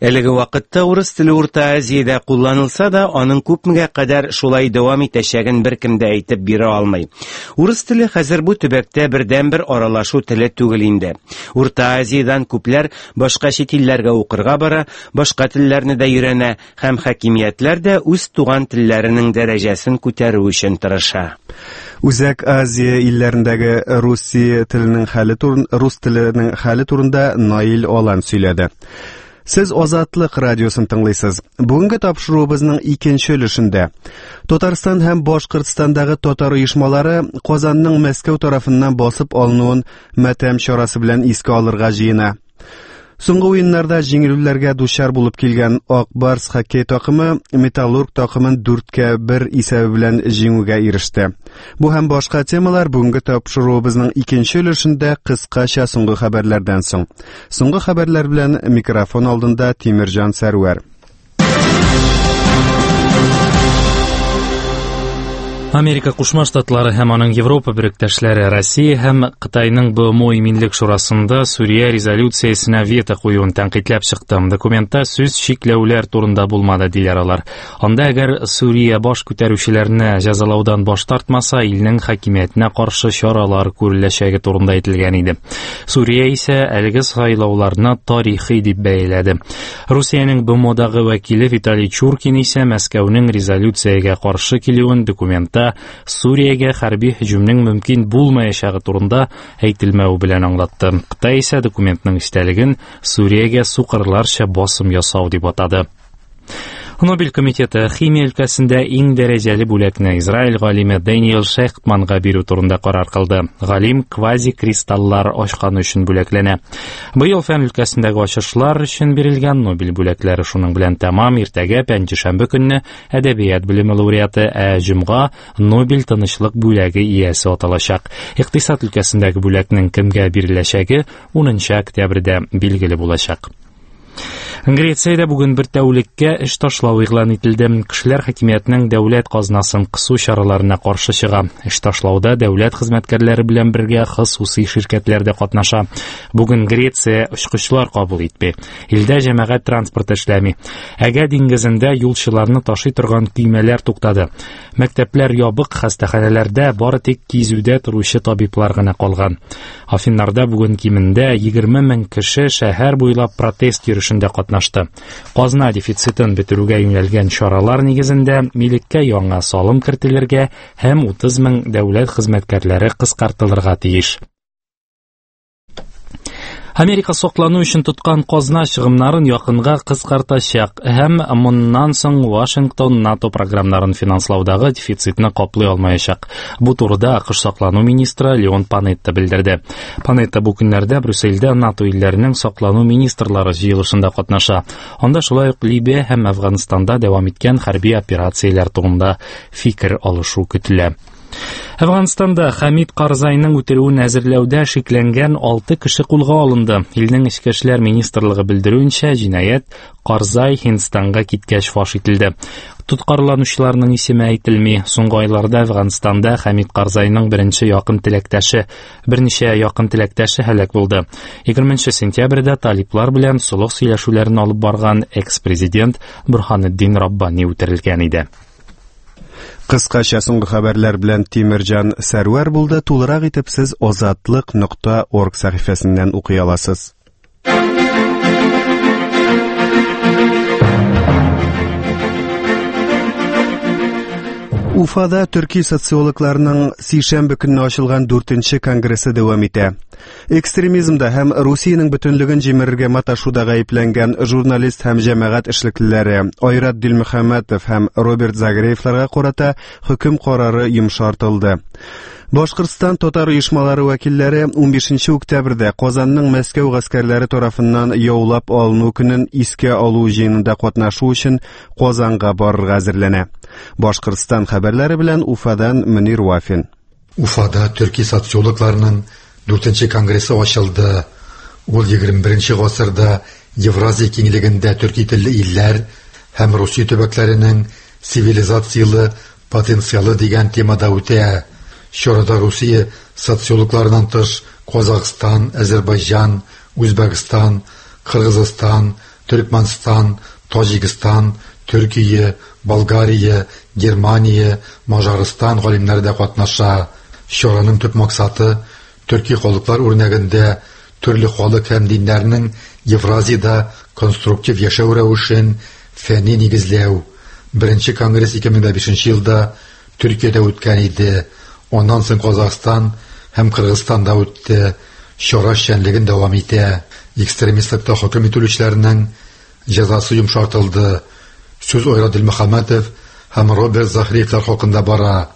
Әлеге вакытта урыс теле Урта Азиядә кулланылса да, аның күпмегә кадәр шулай дәвам итәчәген беркем дә әйтеп бирә алмый. Урыс теле хәзер бу төбәктә бердәнбер аралашу теле түгел инде. Урта Азиядән күпләр башка чит чит илләргә укырга бара, башка телләрне дә өйрәнә һәм хакимиятләр дә үз туган телләренең дәрәҗәсен күтәрү өчен тырыша. Үзәк Азия илләрендәге Русия теленең хәле турын, рус теленең хәле турында Наил Алан сөйләде. Сез Азатлык радиосын тыңлыйсыз. Бүгенге тапшыруыбызның икенче өлешендә Татарстан һәм Башкортстандагы татар оешмалары Казанның Мәскәү тарафыннан басып алынуын матәм чарасы белән искә алырга җыена. Соңгы уеннарда җиңелүләргә дучар булып килгән Ак Барс хоккей такымы Металлург такымын дүрткә бер исәбе белән җиңүгә иреште. Бу һәм башка темалар бүгенге тапшыруыбызның икенче өлешендә кыскача соңгы хәбәрләрдән соң. Соңгы хәбәрләр белән микрофон алдында Тимирҗан Сәрвәр. Америка Кушма Штатлары һәм аның Европа беректәшләре Россия һәм Кытайның Б М О Иминлек Шурасында Сүрия резолюциясенә вето куюын тәнкыйтьләп чыкты. Документта сүз чикләүләр турында булмады, диләр алар. Анда әгәр Сүрия баш күтәрүчеләрне җәзалаудан баш тартмаса, илнең хакимиятенә каршы чаралар күреләчәге турында әйтелгән иде. Сүрия исә әлеге сайлауларны тарихи дип бәяләде. Русиянең Б М Одагы вәкиле Виталий Чуркин исә Мәскәүнең резолюциягә каршы килүен документта Сүриягә хәрби һөҗүмнең мөмкин булмаячагы турында әйтелмәве белән аңлатты. Кытай исә документның эчтәлеген Сүриягә сукырларча басым ясау дип атады. Нобель комитеты химия өлкәсендә иң дәрәҗәле бүләкне Израиль галиме Дэниел Шехтманга бирү турында карар кылды. Галим квазикристаллар ачканы өчен бүләкләнә. Быел фән өлкәсендәге ачышлар өчен бирелгән Нобель бүләкләре шуның белән тәмам. Иртәгә пәнҗешәмбе көнне әдәбият белеме лауреаты, ә җомга Нобель тынычлык бүләге иясе аталачак. Икътисад өлкәсендәге бүләкнең кемгә биреләчәге унынчы октябрьдә билгеле булачак. Грециядә бүген бер тәүлеккә эш ташлау игълан ителде. Кешеләр хакимиятнең дәүләт казнасын кысу чараларына каршы чыга. Эш ташлауда дәүләт хезмәткәрләре белән бергә хосусый ширкәтләр дә катнаша. Бүген Греция очкычлар кабул итми. Илдә җәмәгать транспорты эшләми. Әгә диңгезендә юлчыларны ташый торган көймәләр туктады. Мәктәпләр ябык, хастаханәләрдә бары тик кизүдә торучы табиблар гына калган. Афиннарда бүген кимендә егерме мең кеше шәһәр буйлап протест йөрешендә катнашты. Казна дефицитын бетерүгә юнәлгән чаралар нигезендә милеккә яңа салым кертелергә һәм утыз мең дәүләт хезмәткәрләре кыскартылырга тиеш. Америка соклану өчен тоткан казна чыгымнарын якынга кыскартачак һәм моннан соң Вашингтон НАТО програмнарын финанслаудагы дефицитны каплый алмаячак. Бу турыда АКШ саклану министры Леон Панетта белдерде. Панетта бу көннәрдә Брюссельдә НАТО илләренең саклану министрлары җыелышында катнаша. Анда шулай ук Либия һәм Әфганстанда дәвам иткән хәрби операцияләр турында фикер алышу көтелә. Әфганстанда Хамид Карзайның үтерүен әзерләүдә шикләнгән алты кеше кулга алынды. Илнең Эчке эшләр министрлыгы белдерүенчә, җинаять Карзай Һиндстанга киткәч фаш ителде. Тоткарланучыларның исеме әйтелми. Соңгы айларда Әфганстанда Хамид Карзайның беренче якын теләктәше, берничә якын теләктәше һәлак булды. егерменче сентябрьдә талиплар белән солых сөйләшүләрен алып барган экс-президент Бурханетдин Раббани үтерелгән иде. Кыскача соңгы хәбәрләр белән Тимирҗан Сәрвәр булды. Тулырак итеп сез азатлык нокта орг сәхифәсеннән укый аласыз. Уфада төрки социологларының сишәмбе көнне ачылган дүртенче конгрессы дәвам итә. Экстремизмда һәм Русиянең бөтенлеген җимерергә маташуда гаепләнгән журналист һәм җәмәгать эшлеклеләре Айрат Дилмөхәммәтов һәм Роберт Загреевларга карата хөкем карары йомшартылды. Башкортстан татар оешмалары вәкилләре унбишенче октябрьдә Казанның Мәскәү гаскәрләре тарафыннан яулап алыну көнен искә алу җыенында катнашу өчен Казанга барырга әзерләнә. Башкортстан хәбәрләре белән Уфадан Мөнир Вафин. Уфада төрки социологларының дүртенче конгрессы ачылды. Ул егерме беренче гасырда Евразия киңлегендә төрки телле илләр һәм Русия төбәкләренең цивилизациялы потенциалы дигән темада үтә. Чарада Русия социологларынан тыш Казахстан, Азербайҗан, Үзбәкстан, Кыргызстан, Төркмәнстан, Таҗикстан, Төркия, Болгария, Германия, Мажарстан галимнәре дә катнаша. Чараның төп максаты төрки халыклар үрнәгендә төрле халык һәм диннәрнең Евразиядә конструктив яшәү рәвешен фәнни нигезләү. Беренче конгресс ике мең бишенче елда Төркиядә үткән иде. Аннан соң Казахстан һәм Кыргызстанда үтте. Чара эшчәнлеген дәвам итә. Экстремистлыкта хөкем ителүчеләрнең җәзасы йомшартылды. Сүз Айрат Дилмөхәммәтов һәм Роберт Захриевлар хакында бара.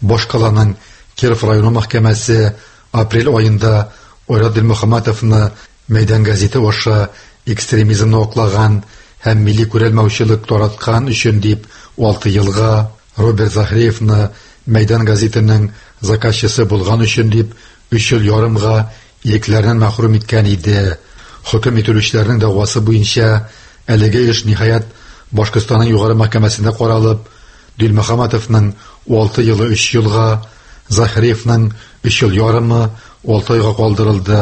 Башкаланың Киров районы мәхкәмәсе апрель аенда Айрат Дилмөхәммәтовны Мәйдан газеты аша экстремизмны аклаган һәм милли күрәлмәүчелек тараткан өчен дип алты елга, Роберт Захриевны Мәйдан газетының заказчысы булган өчен дип өч ел ярымга ирекләреннән мәхрүм иткән иде. Хөкем ителүчеләрнең дәгъвасы буенча әлеге эш ниһаять Башкортстанның югары мәхкәмәсендә каралып, Дилмөхәммәтовның алты елы өч елга, Захриевның өч ел ярымы алты айга калдырылды.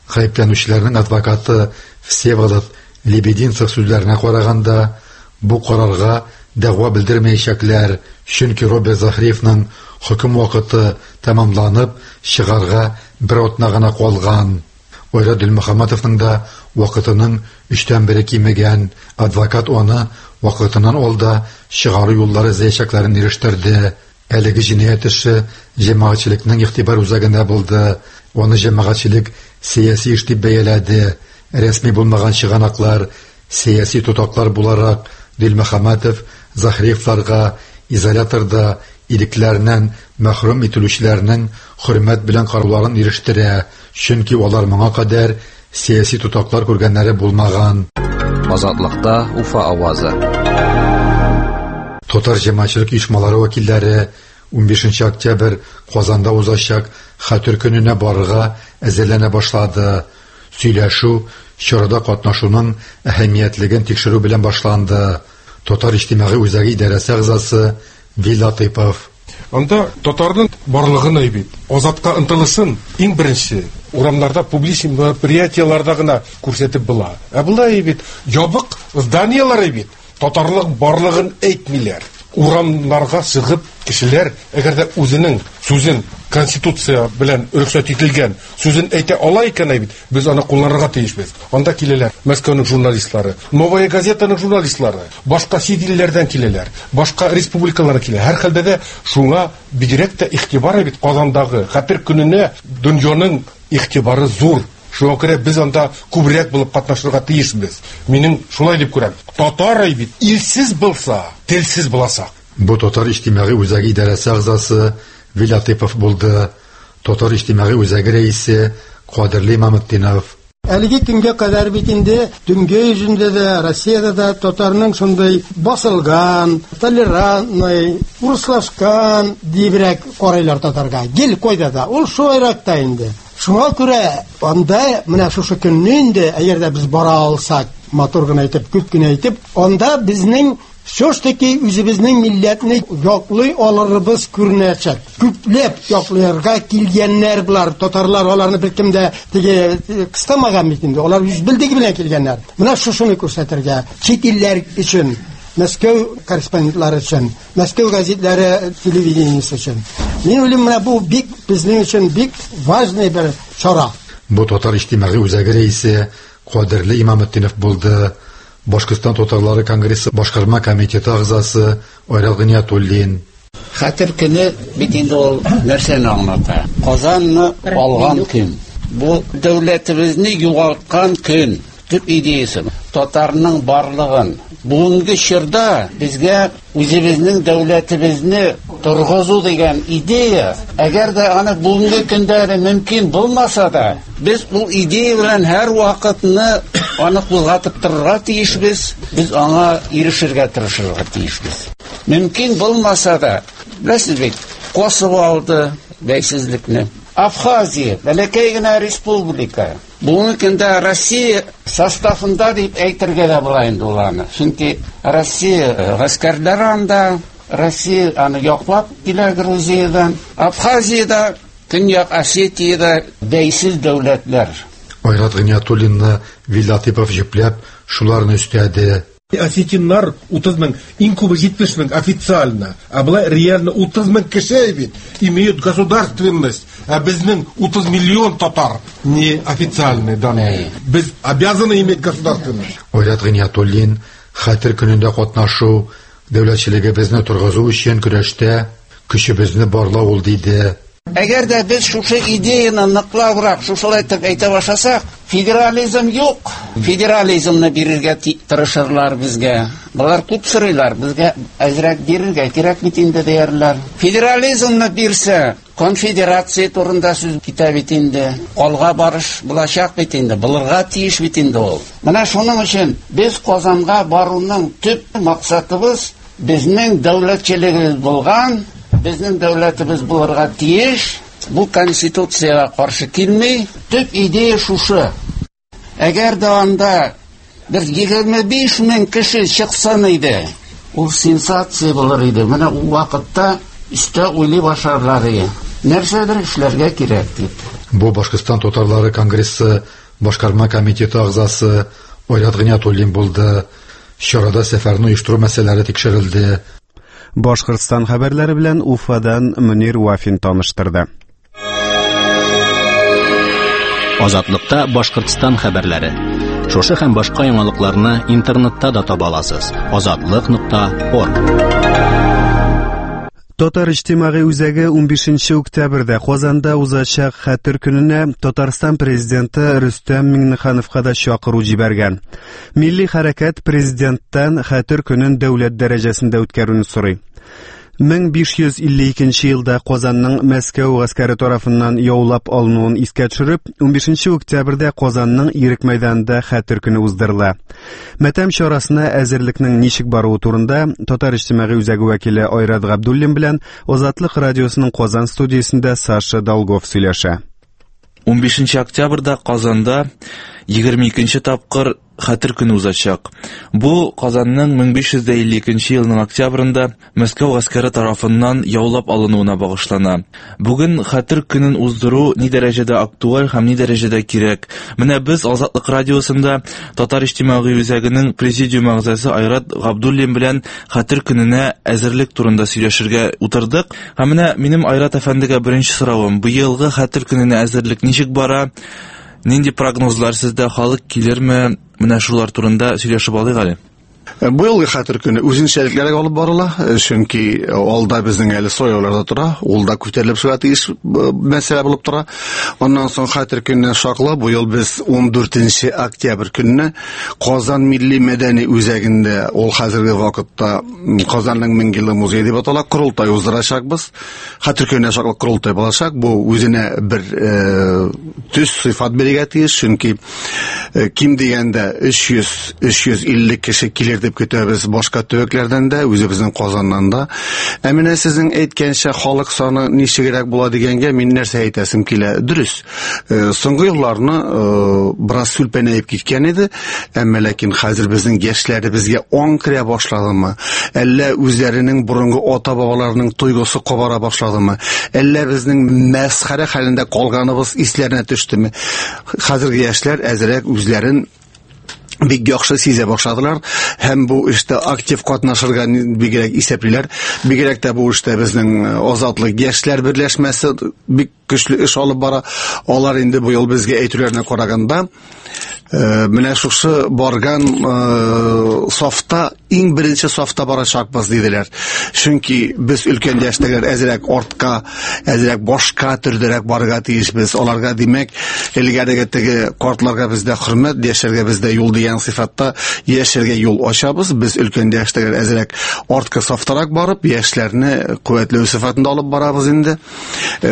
Гаепләнүчеләрнең адвокаты Всеволод Лебединцев сүзләренә караганда, бу карарга дәгъва белдермәячәкләр, чөнки Роберт Захриевның хөкем вакыты тәмамланып, чыгарга бер атна гына калган. Айрат Дилмөхәммәтовның да вакытының өчтән бере кимегән. Адвокат аны вакытыннан алда чыгару юллары эзләячәкләрен ирештерде. Әлеге җинаять эше җәмәгатьчелекнең игътибар үзәгендә булды. Аны җәмәгатьчелек сәяси эш дип бәяләде. Рәсми булмаган чыганаклар сәяси тотаклар буларак Дилмөхәммәтов Захриевларга изоляторда ирекләреннән мәхрүм ителүчеләрнең хөрмәт белән карауларын ирештерә, чөнки алар моңа кадәр сәяси тотаклар күргәннәре булмаган. Азатлыкта Уфа авазы. Татар җәмәгатьчелек оешмалары вәкилләре унбишенче октябрь Казанда узачак Хәтер көненә барырга әзерләнә башлады. Сөйләшү чарада катнашуның әһәмиятлеген тикшерү белән башланды. Татар иҗтимагый үзәге идарәсе әгъзасы Вил Латыйпов. Анда татарның барлыгын әйбит, азатка ынтылышын иң беренче урамнарда, публичный мероприятияларда гына күрсәтеп була. Ә болай бит ябык зданиялар бит татарлык барлыгын әйтмиләр. Урамнарга чыгып кешеләр, әгәр дә үзенең сүзен конституция белән рөхсәт ителгән сүзен әйтә ала икән бит, без аны кулланырга тиешбез. Анда киләләр Мәскәүнең журналистлары, Новая газетаның журналистлары, башка чит илләрдән киләләр, башка республикалардан килә. Һәр хәлдә дә шуңа бигрәк тә игътибар бит Казандагы Хәтер көненә дөньяның игътибары зур. Шуңа күрә без анда күбрәк булып катнашырга тиешбез. Минем шулай дип күрәм. Татар бит илсез булса, телсез буласак. Бу Татар иҗтимагый үзәге идарәсе әгъзасы Вил Латыйпов булды. Татар иҗтимагый үзәге рәисе Кадерле Имаметдинов. Әлеге көнгә кадәр бит инде дөнья йөзендә дә, Россиядә дә татарның шундый басылган, толерантный, урыслашкан диебрәк карыйлар татарга. Гел кайда да, ул шулайрак та инде. Шуңа күрә анда менә шушы көнне инде, әгәр дә без бара алсак, матур гына итеп, күп кенә итеп, анда безнең все-таки үзебезнең милләтне яклый алырыбыз күренәчәк. Күпләп якларга килгәннәр булар, татарлар, аларны беркем дә теге кыстамаган бит инде. Алар үз белдеге белән килгәннәр. Менә шушыны күрсәтергә чит илләр өчен, Мәскәү корреспондентлары өчен, Мәскәү газетлары телевидениесе өчен. Мин уйлыйм, менә бу бик безнең өчен бик важный бер чара. Бу Татар иҗтимагый үзәге рәисе Кадерле Имаметдинов булды. Башкортстан татарлары конгрессы башкарма комитеты әгъзасы Айрат Гыниятуллин. Хәтер көне бит инде ул нәрсәне аңлата? Казанны алган көн. Бу дәүләтебезне югалткан көн. Төп идеясы татарның барлыгын. Бүгенге чорда безгә үзебезнең дәүләтебезне торгызу дигән идея, әгәр дә аны бүгенге көндә әле мөмкин булмаса да, без ул идея белән һәр вакытны аны кузгатып торырга тиешбез, без аңа ирешергә тырышырга тиешбез. Мөмкин булмаса да, беләсез бит, Косово алды бәйсезлекне. Абхазия, бәләкәй генә республика. Бүгенге көндә Россия составында дип әйтергә дә була инде ул аны. Чөнки Россия гаскәрләре анда, Россия аны яклап килә Грузиядән. Абхазиядә, Көньяк Осетиядә бәйсез дәүләтләр. Айрат Гыниятуллинны Вил Латыйпов җөпләп шуларны өстәде. Осетиннар утыз мең, иң күбе җитмеш мең официально, ә болай реально утыз мең кеше бит имеют государственность, ә безнең утыз миллион татар неофициальные данные. Без обязаны иметь государственность. Айрат Гыйниятуллин Хәтер көнендә катнашу дәүләтчелегебезне торгызу өчен көрәштә көчебезне барлау ул, диде. Әгәр дә без шушы идеяны ныклабрак шушылай итеп әйтә башласак, федерализм юк. Федерализмны бирергә тырышырлар безгә. Болар күп сорыйлар, безгә әзрәк бирергә кирәк бит инде диярләр. Федерализмны бирсә, конфедерация турында сүз китә бит инде. Алга барыш булачак бит инде, булырга тиеш бит инде ул. Менә шуның өчен без Казанга баруның төп максатыбыз безнең дәүләтчелегебез булган, безнең дәүләтебез булырга тиеш. Бу конституциягә каршы килми. Төп идея шушы. Әгәр дә анда бер егерме биш мең кеше чыксын иде, ул сенсация булыр иде. Менә ул вакытта өстә уйлый башларлар иде. Нәрсәдер эшләргә кирәк дип. Бу Башкортстан татарлары конгрессы башкарма комитеты әгъзасы Айрат Гыйниятуллин булды. Чарада сәфәрне оештыру мәсьәләләре тикшерелде. Башкортстан хәбәрләре белән Уфадан Мөнир Вафин таныштырды. Азатлыкта Башкортстан хәбәрләре. Шушы һәм башка яңалыкларны интернетта да таба аласыз. азатлык нокта орг. Татар иҗтимагый үзәге унбишенче октябрьдә Казанда узачак Хәтер көненә Татарстан президенты Рөстәм Миңнехановка да чакыру җибәргән. Милли хәрәкәт президенттан Хәтер көнен дәүләт дәрәҗәсендә үткәрүне сорый. мең биш йөз илле икенче елда Казанның Мәскәү гаскәре тарафыннан яулап алынуын искә төшереп, унбишенче октябрьдә Казанның Ирек мәйданында Хәтер көне уздырыла. Мәтәм чарасына әзерлекнең ничек баруы турында Татар иҗтимагый үзәге вәкиле Айрат Габдуллин белән Азатлык радиосының Казан студиясендә Саша Долгов сөйләшә. Унбишенче октябрьдә Казанда егерме икенче тапкыр Хәтер көне узачак. Бу Казанның мең биш йөз илле икенче елның октябрендә Мәскәү гаскәре тарафыннан яулап алынуына багышлана. Бүген Хәтер көнен уздыру ни дәрәҗәдә актуаль һәм ни дәрәҗәдә кирәк? Менә без Азатлык радиосында Татар иҗтимагый үзәгенең президиум әгъзасы Айрат Габдуллин белән Хәтер көненә әзерлек турында сөйләшергә утырдык. Һәм менә минем Айрат әфәндегә беренче соравым: быелгы Хәтер көненә әзерлек ничек бара? Нинди прогнозлар сездә, халык килерме? Менә шулар турында сөйләшеп алыйк әле. Быелгы Хәтер көне үзенчәлекләргә алып барыла, чөнки алда безнең әле сайлаулар да тора, ул да күтәрелеп чыга тиеш мәсьәлә булып тора. Аннан соң Хәтер көненә шаклы быел без ундүртенче октябрь көнне Казан милли мәдәни үзәгендә, ул хәзерге вакытта Казанның мең еллык музее дип атала, корылтай уздырачакбыз. Хәтер көненә шаклы корылтай булачак. Бу үзенә бер төс сыйфат бирергә тиеш, чөнки ким дигәндә өч йөз, өч йөз илле кеше килер дип көтәбез башка төбәкләрдән дә, үзебезнең Казаннан да. Ә менә сезнең әйткәнчә халык саны ничегрәк була дигәнгә мин нәрсә әйтәсем килә. Дөрес, соңгы елларны бераз сүлпәнәеп киткән иде, әмма ләкин хәзер безнең яшьләребезгә аң керә башладымы? Әллә үзләренең борынгы ата-бабаларының тойгысы кабара башладымы? Әллә безнең мәсхәрә хәлендә калганыбыз исләренә төштеме? Хәзерге яшьләр әзрәк үзләрен бик яхшы сизә башладылар һәм бу эштә актив катнашырга бигрәк исәплиләр. Бигрәк тә бу эштә безнең Азатлык яшьләр берләшмәсе бик көчле эш алып бара. Алар инде быел безгә әйтүләренә караганда, менә шушы барган сафта, иң беренче сафта барачакбыз диделәр. Чөнки без өлкән яшьтәгеләр әзрәк артка, әзрәк башка төрдәрәк барырга тиешбез. Аларга, димәк, элгәреге теге картларга бездә хөрмәт, яшьләргә бездә юл дигән сыйфатта яшьләргә юл ачабыз. Без өлкән яшьтәгеләр әзрәк артка сафтарак барып, яшьләрне куәтләү сыйфатында алып барабыз инде.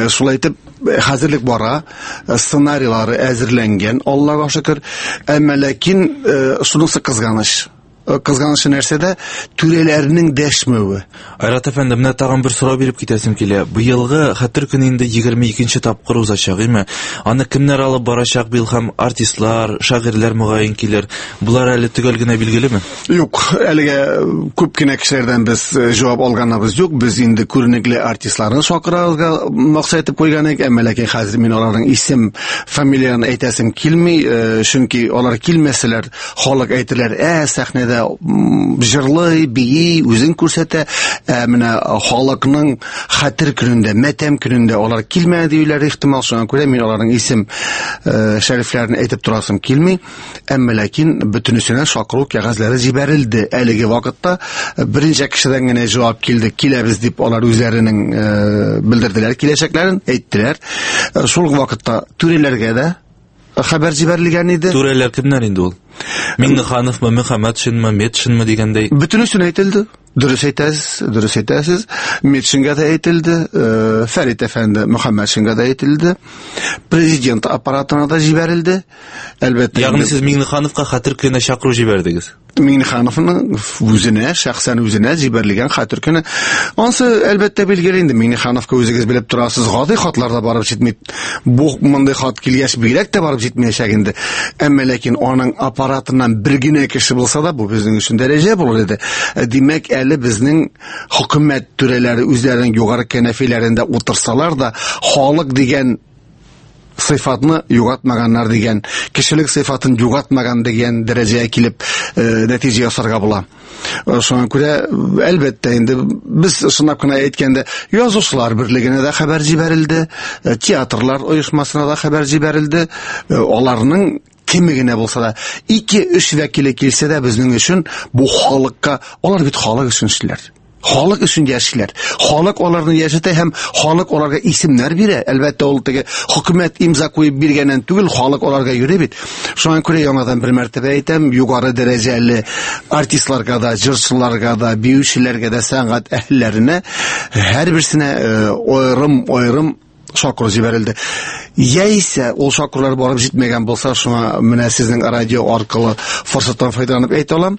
Шулай итеп хәзерлек бара, сценарийлары әзерләнгән, Аллага шөкер. Әмма ләкин шунысы кызганыч. Кызганышы нәрсәдә? Түрәләрнең дәшмәве. Айрат әфәнде, менә тагын бер сорау биреп китәсем килә. Быелгы Хәтер көне инде егерме икенче тапкыр узачак, әйме? Аны кемнәр алып барачак быел һәм артистлар, шагыйрьләр мөгаен килер. Булар әле төгәл генә билгелеме? Юк, әлегә күп кенә кешеләрдән без җавап алганыбыз юк. Без инде күренекле артистларны чакырырга максат итеп куйган идек, әмма ләкин хәзер мин аларның исем, фамилияләрен әйтәсем килми, чөнки алар килмәсәләр, халык әйтерләр, ә сәхнәдә сәхнәдә җырлый, бии, үзен күрсәтә. Ә менә халыкның хәтер көнендә, мәтәм көнендә алар килмәде диюләре ихтимал. Шуңа күрә мин аларның исем шәрифләрен әйтеп торасым килми. Әмма ләкин бөтенесенә чакыру кәгазьләре җибәрелде. Әлеге вакытта берничә кешедән генә җавап килде, киләбез дип алар үзләренең белдерделәр, киләчәкләрен әйттеләр. Шул ук вакытта түрәләргә дә хәбәр җибәрелгән иде. Түрәләр кемнәр инде ул? Миңнехановмы, Мөхәммәтшинме, Метшинме дигәндәй? Бөтенесен әйтелде. Дөрес әйтәсез, дөрес әйтәсез. Метшингә дә әйтелде, Фәрит әфәнде Мөхәммәтшингә дә әйтелде. Президент аппаратына да җибәрелде. Әлбәттә. Ягъни сез Миңнехановка хәтер көненә чакыру җибәрдегез? Миңнехановның үзенә, шәхсән үзенә җибәрелгән хәтер көне. Ансы әлбәттә билгеле инде. Миңнехановка үзегез белеп торасыз, гади хатлар да барып җитми. Бу мондый хат килгәч бигрәк тә барып җитмәячәк инде. Әмма ләкин аның аппаратыннан бер генә кеше булса да, бу безнең өчен дәрәҗә булыр иде. Димәк, әле безнең хөкүмәт түрәләре үзләренең югары кәнәфиләрендә утырсалар да, халык дигән сыйфатны югалтмаганнар дигән, кешелек сыйфатын югалтмаган дигән дәрәҗәгә килеп нәтиҗә ясарга була. Шуңа күрә әлбәттә инде без чынлап кына әйткәндә язучылар берлегенә дә хәбәр җибәрелде, театрлар оешмасына да хәбәр җибәрелде. Аларның кеме генә булса да, ике-өч вәкиле килсә дә безнең өчен бу халыкка, алар бит халык өчен эшлиләр. Халык өчен яшиләр. Халык аларны яшәтә һәм халык аларга исемнәр бирә. Әлбәттә, ул теге хөкүмәт имза куеп биргәннән түгел, халык аларга йөри бит. Шуңа күрә яңадан бер мәртәбә әйтәм, югары дәрәҗәле артистларга да, җырчыларга да, биючеләргә дә, сәнгать әһелләренә һәрберсенә аерым-аерым чакыру җибәрелде. Яисә ул чакырулар барып җитмәгән булса, шуңа менә сезнең радио аркылы форсаттан файдаланып әйтә алам.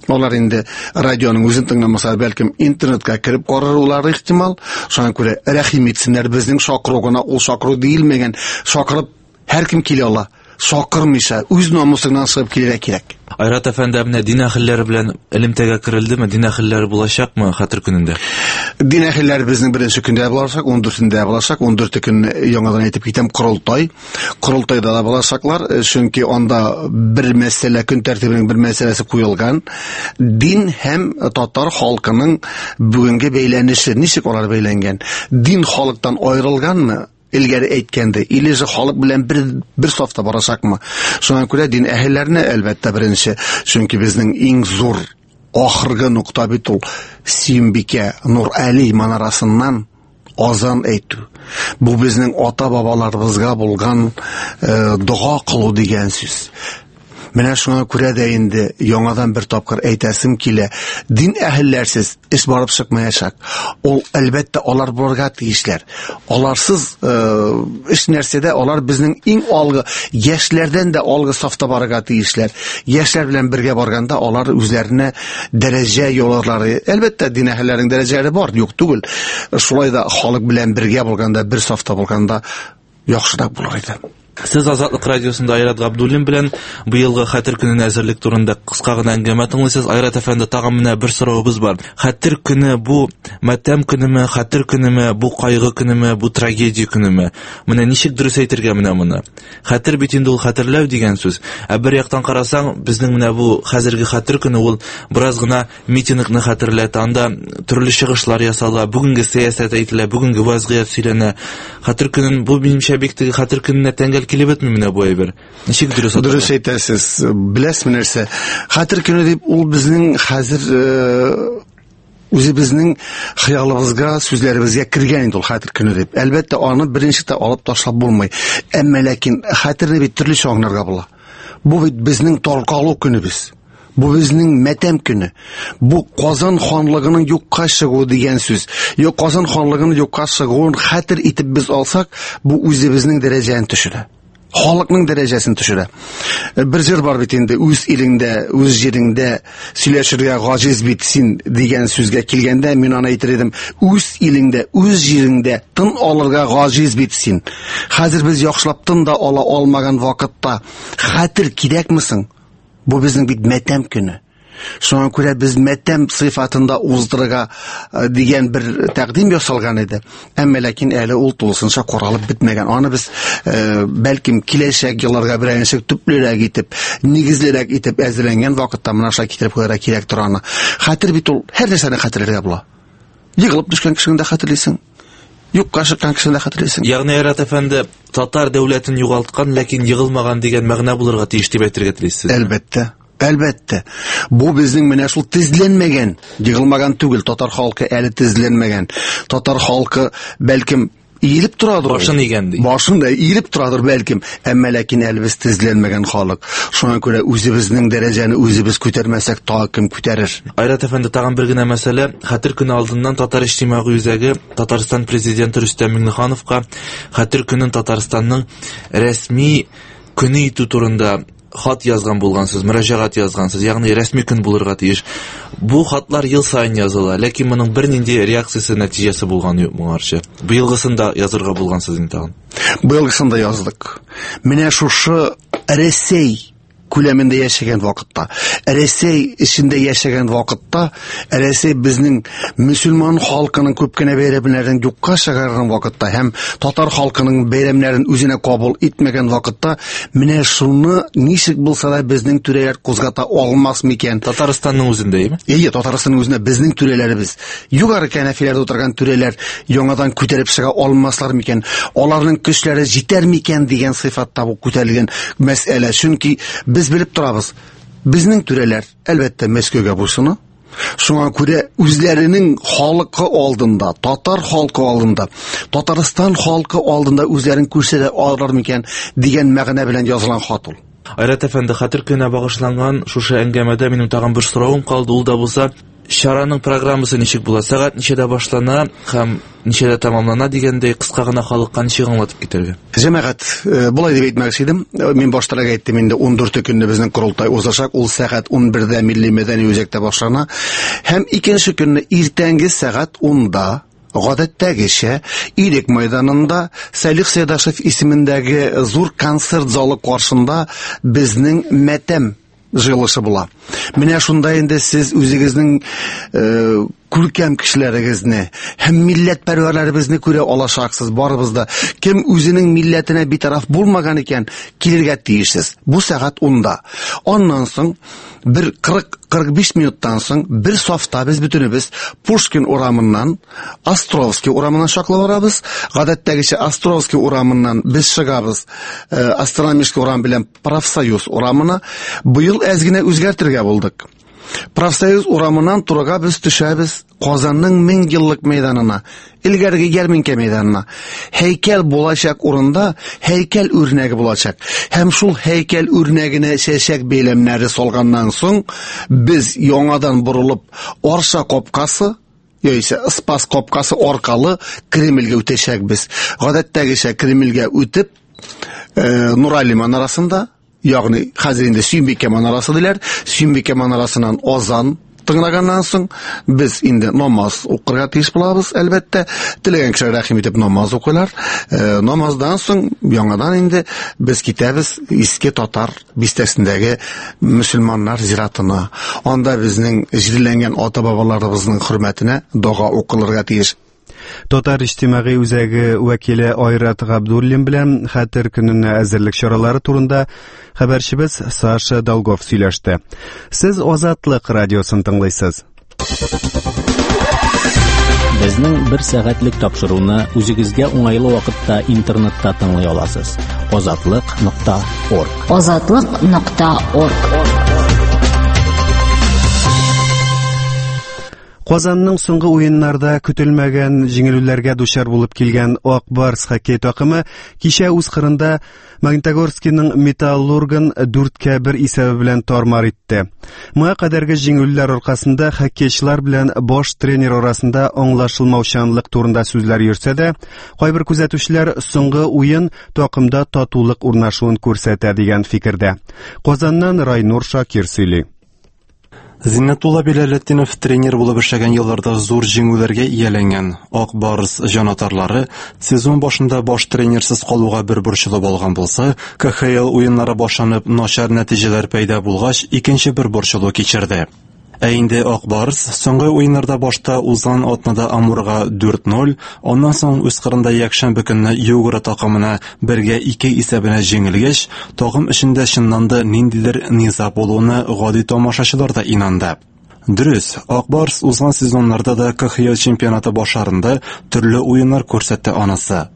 Алар инде радионың үзен тыңламаса, бәлкем интернетка кереп карарлар ихтимал. Шуңа күрә рәхим итсеннәр, безнең чакыру гына ул чакыру диелмәгән. Чакырып һәркем килә ала. Чакырмыйча үз намусыңнан чыгып килергә кирәк. Айрат әфәнде, менә дин әһелләре белән элемтәгә керелдеме? Дин әһелләре булачакмы хәтер көнендә? Дин әһелләре безнең беренче көндә булачак, ун дүртендә булачак. ун дүрте көн яңадан әйтеп китәм, корылтай. Корылтайда да булачаклар, чөнки анда бер мәсьәлә, көн тәртибенең бер мәсьәләсе куелган. Дин һәм татар халкының бүгенге бәйләнеше, ничек алар бәйләнгән? Дин халыктан аерылганмы? Илгәре әйткәндә, или же халык белән бер бер сафта барачакмы? Шуңа күрә дин әһелләренә әлбәттә беренче, чөнки безнең иң зур ахыргы нокта бит ул Сөембикә Нур Али манарасыннан азан әйтү. Бу безнең ата-бабаларыбызга булган дога кылу дигән сүз. Менә шуңа күрә дә инде яңадан бер тапкыр әйтәсем килә, дин әһелләрсез эш барып чыкмаячак. Ул әлбәттә алар булырга тиешләр. Аларсыз эш нәрсәдә алар безнең иң алгы яшьләрдән дә алгы сафта барырга тиешләр. Яшьләр белән бергә барганда алар үзләренә дәрәҗә яуларлары. Әлбәттә дин әһелләренең дәрәҗәләре бар, юк түгел. Шулай да халык белән бергә булганда, бер сафта булганда яхшырак булыр иде. Сез Азатлык радиосында Айрат Габдуллин белән быелгы хәтер көненә әзерлек турында кыска гына әңгәмә тыңлыйсыз. Айрат әфәнде, тагын менә бер соравыбыз бар. Хәтер көне бу матәм көнеме, хәтер көнеме, бу кайгы көнеме, бу трагедия көнеме? Менә ничек дөрес әйтергә менә моны? Хәтер бит инде ул хәтерләү дигән сүз. Ә бер яктан карасаң, безнең менә бу хәзерге хәтер көне ул бераз гына митингны хәтерләтә, анда төрле чыгышлар ясала, бүгенге сәясәт әйтелә, бүгенге вазгыять сөйләнә. Хәтер көнен бу минемчә бик теге хәтер көненә тәңгәл килеп бетми менә бу әйбер. Ничек дөрес атала? Дөрес әйтәсез. Беләсезме нәрсә? Хәтер көне дип ул безнең хәзер үзебезнең хыялыбызга, сүзләребезгә кергән инде ул хәтер көне дип. Әлбәттә, аны беренче тә алып ташлап булмый. Әмма ләкин хәтерне бит төрлечә аңларга була. Бу бит безнең таркалу көнебез. Бу безнең мәтәм көне. Бу Казан ханлыгының юкка чыгуы дигән сүз. Юк, Казан ханлыгының юкка чыгуын хәтер итеп без алсак, бу үзебезнең дәрәҗәне төшерә. Халыкның дәрәҗәсен төшерә. Бер җыр бар бит инде, үз илеңдә, үз җиреңдә сөйләшергә гаҗиз бит син дигән сүзгә килгәндә, мин аны әйтер идем, үз илеңдә, үз җиреңдә тын алырга гаҗиз бит син. Хәзер без яхшылап тын да ала алмаган вакытта хәтер кирәкме соң? Бу безнең бит мәтәм көне. Шуңа күрә без мәтәм сыйфатында уздырырга дигән бер тәкъдим ясалган иде. Әмма ләкин әле ул тулысынча каралып бетмәгән. Аны без бәлкем киләчәк елларга берничә төплерәк итеп, нигезлерәк итеп әзерләнгән вакытта менә шулай китереп куярга кирәк тора аны. Хәтер бит ул һәр нәрсәне хәтерләргә була. Егылып төшкән кешене дә хәтерлисең. Юкка чыккан кешене дә хәтерлисең. Ягъни Айрат әфәнде, татар дәүләтен югалткан, ләкин егылмаган дигән мәгънә булырга тиеш дип әйтергә телисез. Әлбәттә. Әлбәттә. Бу безнең менә шул тезләнмәгән, егылмаган түгел, татар халкы әле тезләнмәгән. Татар халкы бәлкем иелеп торадыр. Башын игән ди. Башын да иелеп торадыр бәлкем, әмма ләкин әле без тезләнмәгән халык. Шуңа күрә үзебезнең дәрәҗәне үзебез күтәрмәсәк, тагы кем күтәрер? Айрат әфәнде, тагын бер генә мәсьәлә. Хәтер көне алдыннан Татар иҗтимагый үзәге Татарстан президенты Рөстәм Миңнехановка Хәтер көнен Татарстанның рәсми көне итү турында хат язган булгансыз, мөрәҗәгать язгансыз, ягъни рәсми көн булырга тиеш. Бу хатлар ел саен языла, ләкин моның бернинди реакциясе, нәтиҗәсе булганы юк моңарчы. Быелгысын да язырга булгансыз инде тагын. Быелгысын да яздык. Менә шушы Рәсәй күләмендә яшәгән вакытта, Рәсәй эчендә яшәгән вакытта, Рәсәй безнең мөселман халкының күп кенә бәйрәмнәрен юкка чыгарган вакытта һәм татар халкының бәйрәмнәрен үзенә кабул итмәгән вакытта, менә шуны ничек булса да безнең түрәләр кузгата алмас микән? Татарстанның үзендә, әйеме? Әйе, Татарстанның үзендә безнең түрәләребез, югары кәнәфиләрдә утырган түрәләр яңадан күтәреп чыга алмаслар микән? Аларның көчләре җитәр микән дигән сыйфатта бу күтәрелгән мәсьәлә. Чөнки без белеп торабыз, безнең түрәләр әлбәттә Мәскәүгә буйсына. Шуңа күрә үзләренең халкы алдында, татар халкы алдында, Татарстан халкы алдында үзләрен күрсәтә алырлар микән дигән мәгънә белән язылган хат ул. Айрат әфәнде, Хәтер көненә багышланган шушы әңгәмәдә минем тагын бер соравым калды. Ул да булса, чараның программасы ничек була? Сәгать ничәдә башлана һәм ничәдә тәмамлана дигәндәй кыска гына халыкка ничек аңлатып китәргә? Җәмәгать, болай дип әйтмәкче идем. Мин баштарак әйттем инде, ун дүрте көнне безнең корылтай узачак. Ул сәгать ун бердә Милли мәдәни үзәктә башлана. Һәм икенче көнне иртәнге сәгать унда гадәттәгечә Ирек мәйданында Салих Сайдашев исемендәге зур концерт залы каршында безнең мәтәм җыелышы була. Менә шунда инде сез үзегезнең күркәм кешеләрегезне һәм милләтпәрвәрләребезне күрә алачаксыз. Барыбыз да, кем үзенең милләтенә битараф булмаган икән, килергә тиешсез. Бу сәгать унда. Аннан соң бер кырык кырык биш минуттан соң бер сафта без бөтенебез Пушкин урамыннан Островский урамына чаклы барабыз. Гадәттәгечә Островский урамыннан без чыгабыз Астрономический урам белән Профсоюз урамына. Быел әз генә үзгәртергә булдык. Профсоюз урамыннан турыга без төшәбез Казанның мең еллык мәйданына, элгәрге ярминкә мәйданына. Һәйкәл булачак урында һәйкәл үрнәге булачак. Һәм шул һәйкәл үрнәгенә чәчәк бәйләмнәре салганнан соң без яңадан борылып Арша капкасы яисә Спас капкасы аркылы Кремльгә үтәчәкбез. Гадәттәгечә Кремльгә үтеп, Нурали манарасында, ягъни хәзер инде Сөембикә манарасы диләр, Сөембикә манарасыннан азан тыңлаганнан соң без инде намаз укырга тиеш булабыз, әлбәттә. Теләгән кешеләр рәхим итеп намаз укыйлар. Э, намаздан соң яңадан инде без китәбез Иске Татар бистәсендәге мөселманнар зиратына. Анда безнең җирләнгән ата-бабаларыбызның хөрмәтенә дога укылырга тиеш. Татар иҗтимагый үзәге вәкиле Айрат Габдуллин белән Хәтер көненә әзерлек чаралары турында хәбәрчебез Саша Долгов сөйләште. Сез Азатлык радиосын тыңлыйсыз. Безнең бер сәгатьлек тапшыруны үзегезгә уңайлы вакытта интернетта тыңлый аласыз. Азатлык нокта орг. Азатлык нокта орг. Казанның соңгы уеннарда көтелмәгән җиңелүләргә дучар булып килгән Ак Барс хоккей такымы кичә үз кырында Магнитогорскийның Металлургын дүрткә бер исәбе белән тармар итте. Моңа кадәрге җиңелүләр аркасында хоккейчылар белән баш тренер арасында аңлашылмаучанлык турында сүзләр йөрсә дә, кайбер күзәтүчеләр соңгы уен такымда татулык урнашуын күрсәтә дигән фикердә. Казаннан Райнур Шакир сөйли. Зиннәтулла Биләлетдинов тренер булып эшләгән елларда зур җиңүләргә ияләнгән Ак Барс җанатарлары сезон башында баш тренерсыз калуга бер борчылып алган булса, К Х Л уеннары башланып начар нәтиҗәләр пәйда булгач, икенче бер борчылу кичерде. Ә инде Ак Барс соңгы уеннарда башта узган атнада Амурга дүрт ноль, аннан соң үз кырында якшәмбе көнне Югра такымына бергә ике исәбенә җиңелгәч, такым эчендә чыннан да ниндидер низа булуына гади тамашачылар да инанды. Дөрес, Ак Барс узган сезоннарда да К Х Л чемпионаты башларында төрле уеннар күрсәтте анысы.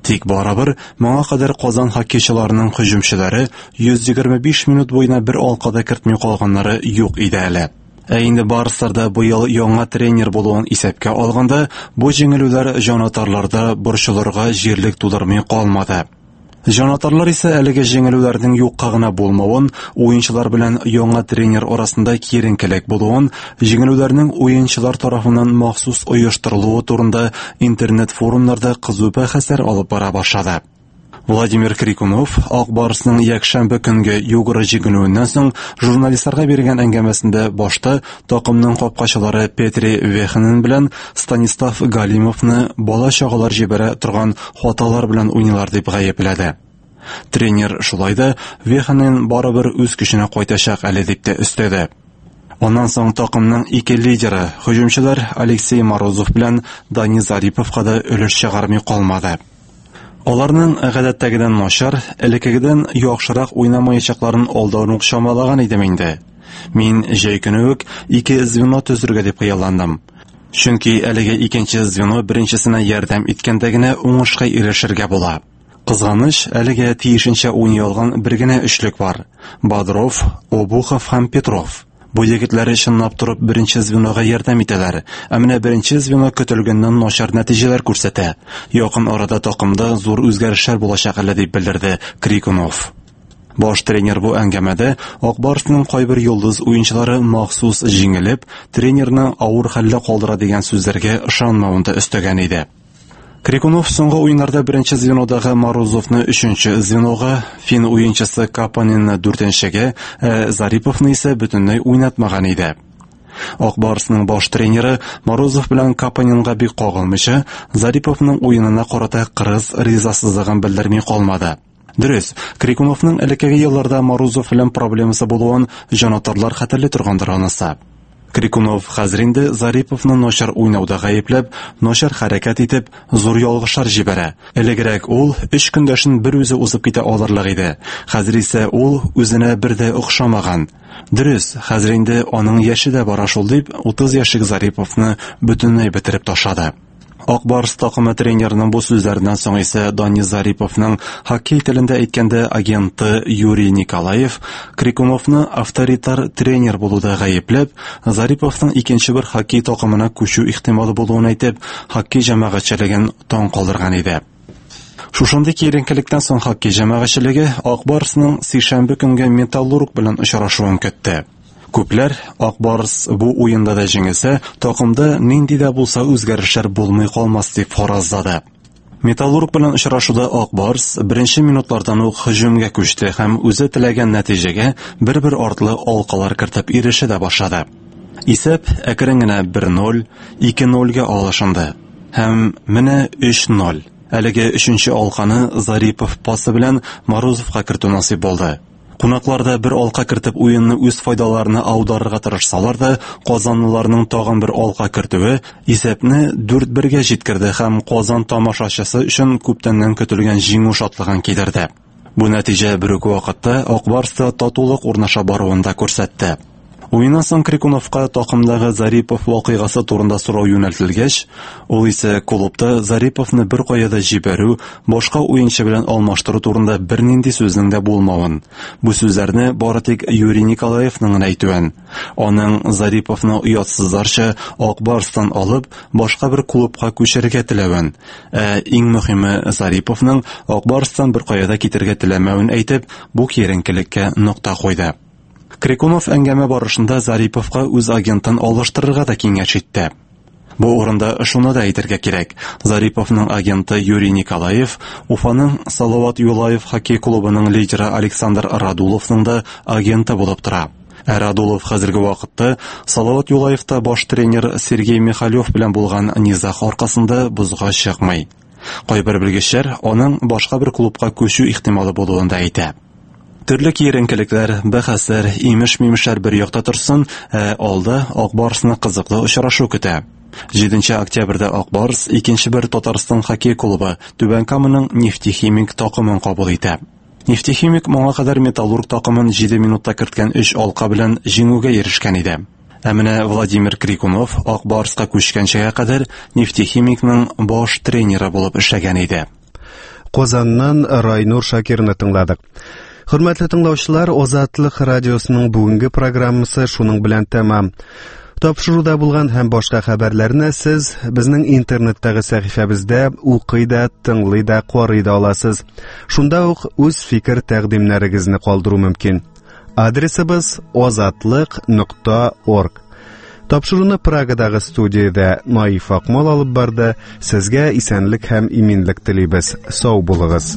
Тик барыбер моңа кадәр Казан хоккейчыларының һөҗүмчеләре йөз егерме биш минут буена бер алка да кертми калганнары юк иде әле. Ә инде Барсларда быел яңа тренер булуын исәпкә алганда, бу җиңелүләр җанатарларда борчылырга җирлек тудырмый калмады. Җанатарлар исә әлеге җиңелүләрнең юкка гына булмавын, уенчылар белән яңа тренер арасында киеренкелек булуын, җиңелүләрнең уенчылар тарафыннан махсус оештырылуы турында интернет форумнарда кызу бәхәсләр алып бара башлады. Владимир Крикунов Ак Барсның якшәмбе көнге Югра җиңелүеннән соң журналистларга биргән әңгәмәсендә башта такымның капкачылары Петри Веханен белән Станислав Галимовны бала-чагалар җибәрә торган хаталар белән уйныйлар дип гаепләде. Тренер шулай да Веханен барыбер үз көченә кайтачак әле дип тә өстәде. Аннан соң такымның ике лидеры, һөҗүмчеләр Алексей Морозов белән Дани Зариповка да өлеш чыгармый калмады. Аларның гадәттәгедән начар, элеккегедән яхшырак уйнамаячакларын алдан ук чамалаган идем инде. Мин җәй көне үк ике звено төзергә дип хыялландым. Чөнки әлеге икенче звено беренчесенә ярдәм иткәндә генә уңышка ирешергә була. Кызганыч, әлегә тиешенчә уйный алган бер генә өчлек бар: Бодров, Обухов һәм Петров. Бу егетләр чынлап торып беренче звенога ярдәм итәләр. Ә менә беренче звено көтелгәннән начар нәтиҗәләр күрсәтә. Якын арада такымда зур үзгәрешләр булачак әле дип белдерде Крикунов. Баш тренер бу әңгәмәдә Ак Барсның кайбер йолдыз уенчылары махсус җиңелеп, тренерны авыр хәлдә калдыра дигән сүзләргә ышанмавын да өстәгән иде. Крикунов соңгы уеннарда беренче звенодагы Морозовны өченче звенога, фин уенчысы Капанинны дүртенчегә, ә Зариповны исә бөтенләй уйнатмаган иде. Ак Барсның баш тренеры Морозов белән Капанинга бик кагылмыйча, Зариповның уенына карата кырыс ризасызлыгын белдерми калмады. Дөрес, Крикуновның элеккеге елларда Морозов белән проблемасы булуын җанатарлар хәтерли торгандыр анысы. Крикунов хәзер инде Зариповны начар уйнауда гаепләп, начар хәрәкәт итеп, зур ялгышлар җибәрә. Элегрәк ул өч көндәшен бер үзе узып китә алырлык иде. Хәзер исә ул үзенә бер дә охшамаган. Дөрес, хәзер инде аның яше дә бара шул дип, утыз яшьлек Зариповны бөтенләй бетереп ташлады. Ак Барс такымы тренерының бу сүзләреннән соң исә Дани Зариповның хоккей телендә әйткәндә агенты Юрий Николаев Крикуновны авторитар тренер булуда гаепләп, Зариповның икенче бер хоккей такымына күчү ихтималы булуын әйтеп, хоккей җәмәгатьчелеген таң калдырган иде. Шушындый киеренкелектән соң хоккей җәмәгатьчелеге Ак Барсның сишәмбе көнге Металлург белән очрашуын көтте. Күпләр Ак Барс бу уенда да җиңелсә, такымда нинди дә булса үзгәрешләр булмый калмас дип фаразлады. Металлург белән очрашуда Ак Барс беренче минутлардан ук һөҗүмгә күчте һәм үзе теләгән нәтиҗәгә бер-бер артлы алкалар кертеп ирешә дә башлады. Исәп әкрен генә бер ноль, ике нольгә алышынды. Һәм менә өч ноль. Әлеге өченче алканы Зарипов пасы белән Морозовка кертү насыйп булды. Кунакларда бер алка кертеп уенны үз файдаларына аударырга тырышсалар да, казанлыларның тагын бер алка кертүе исәпне дүрт бергә җиткерде һәм Казан тамашачысы өчен күптәннән көтелгән җиңү шатлыгын китерде. Бу нәтиҗә бер үк вакытта Ак Барста татулык урнаша баруын да күрсәтте. Уеннан соң Крикуновка такымдагы Зарипов вакыйгасы турында сорау юнәлтелгәч, ул исә клубта Зариповны бер кая да җибәрү, башка уенчы белән алмаштыру турында бернинди сүзнең дә булмавын, бу сүзләрне бары тик Юрий Николаевның гына әйтүен, аның Зариповны оятсызларча Ак Барстан алып, башка бер клубка күчерергә теләвен, ә иң мөһиме Зариповның Ак Барстан бер кая да китергә теләмәвен әйтеп, бу киеренкелеккә нокта куйды. Крикунов әңгәмә барышында Зариповка үз агентын алыштырырга да киңәш итте. Бу урында шуны да әйтергә кирәк. Зариповның агенты Юрий Николаев Уфаның Салават Юлаев хоккей клубының лидеры Александр Радуловның да агенты булып тора. Ә Радулов хәзерге вакытта Салават Юлаевта баш тренер Сергей Михалев белән булган низаг аркасында бозга чыкмый. Кайбер белгечләр аның башка бер клубка күчү ихтималы булуын да әйтә. Төрле киеренкелекләр, бәхәсләр, имеш-мимешләр бер якта торсын, ә алда Ак Барсны кызыклы очрашу көтә. Җиденче октябрьдә Ак Барс икенче бер Татарстан хоккей клубы Түбән Каманың Нефтехимик такымын кабул итә. Нефтехимик моңа кадәр Металлург такымын җиде минутта керткән өч алка белән җиңүгә ирешкән иде. Ә менә Владимир Крикунов Ак Барска күчкәнчегә кадәр Нефтехимикның баш тренеры булып эшләгән иде. Казаннан Райнур Шакирны тыңладык. Хөрмәтле тыңлаучылар, Азатлык радиосының бүгенге программасы шуның белән тәмам. Тапшыруда булган һәм башка хәбәрләрне сез безнең интернеттагы сәхифәбездә укый да, тыңлый да, карый да аласыз. Шунда ук үз фикер тәкъдимнәрегезне калдыру мөмкин. Адресыбыз азатлык нокта орг. Тапшыруны Прагадагы студиядә Наиф Акмал алып барды. Сезгә исәнлек һәм иминлек телибез. Сау булыгыз.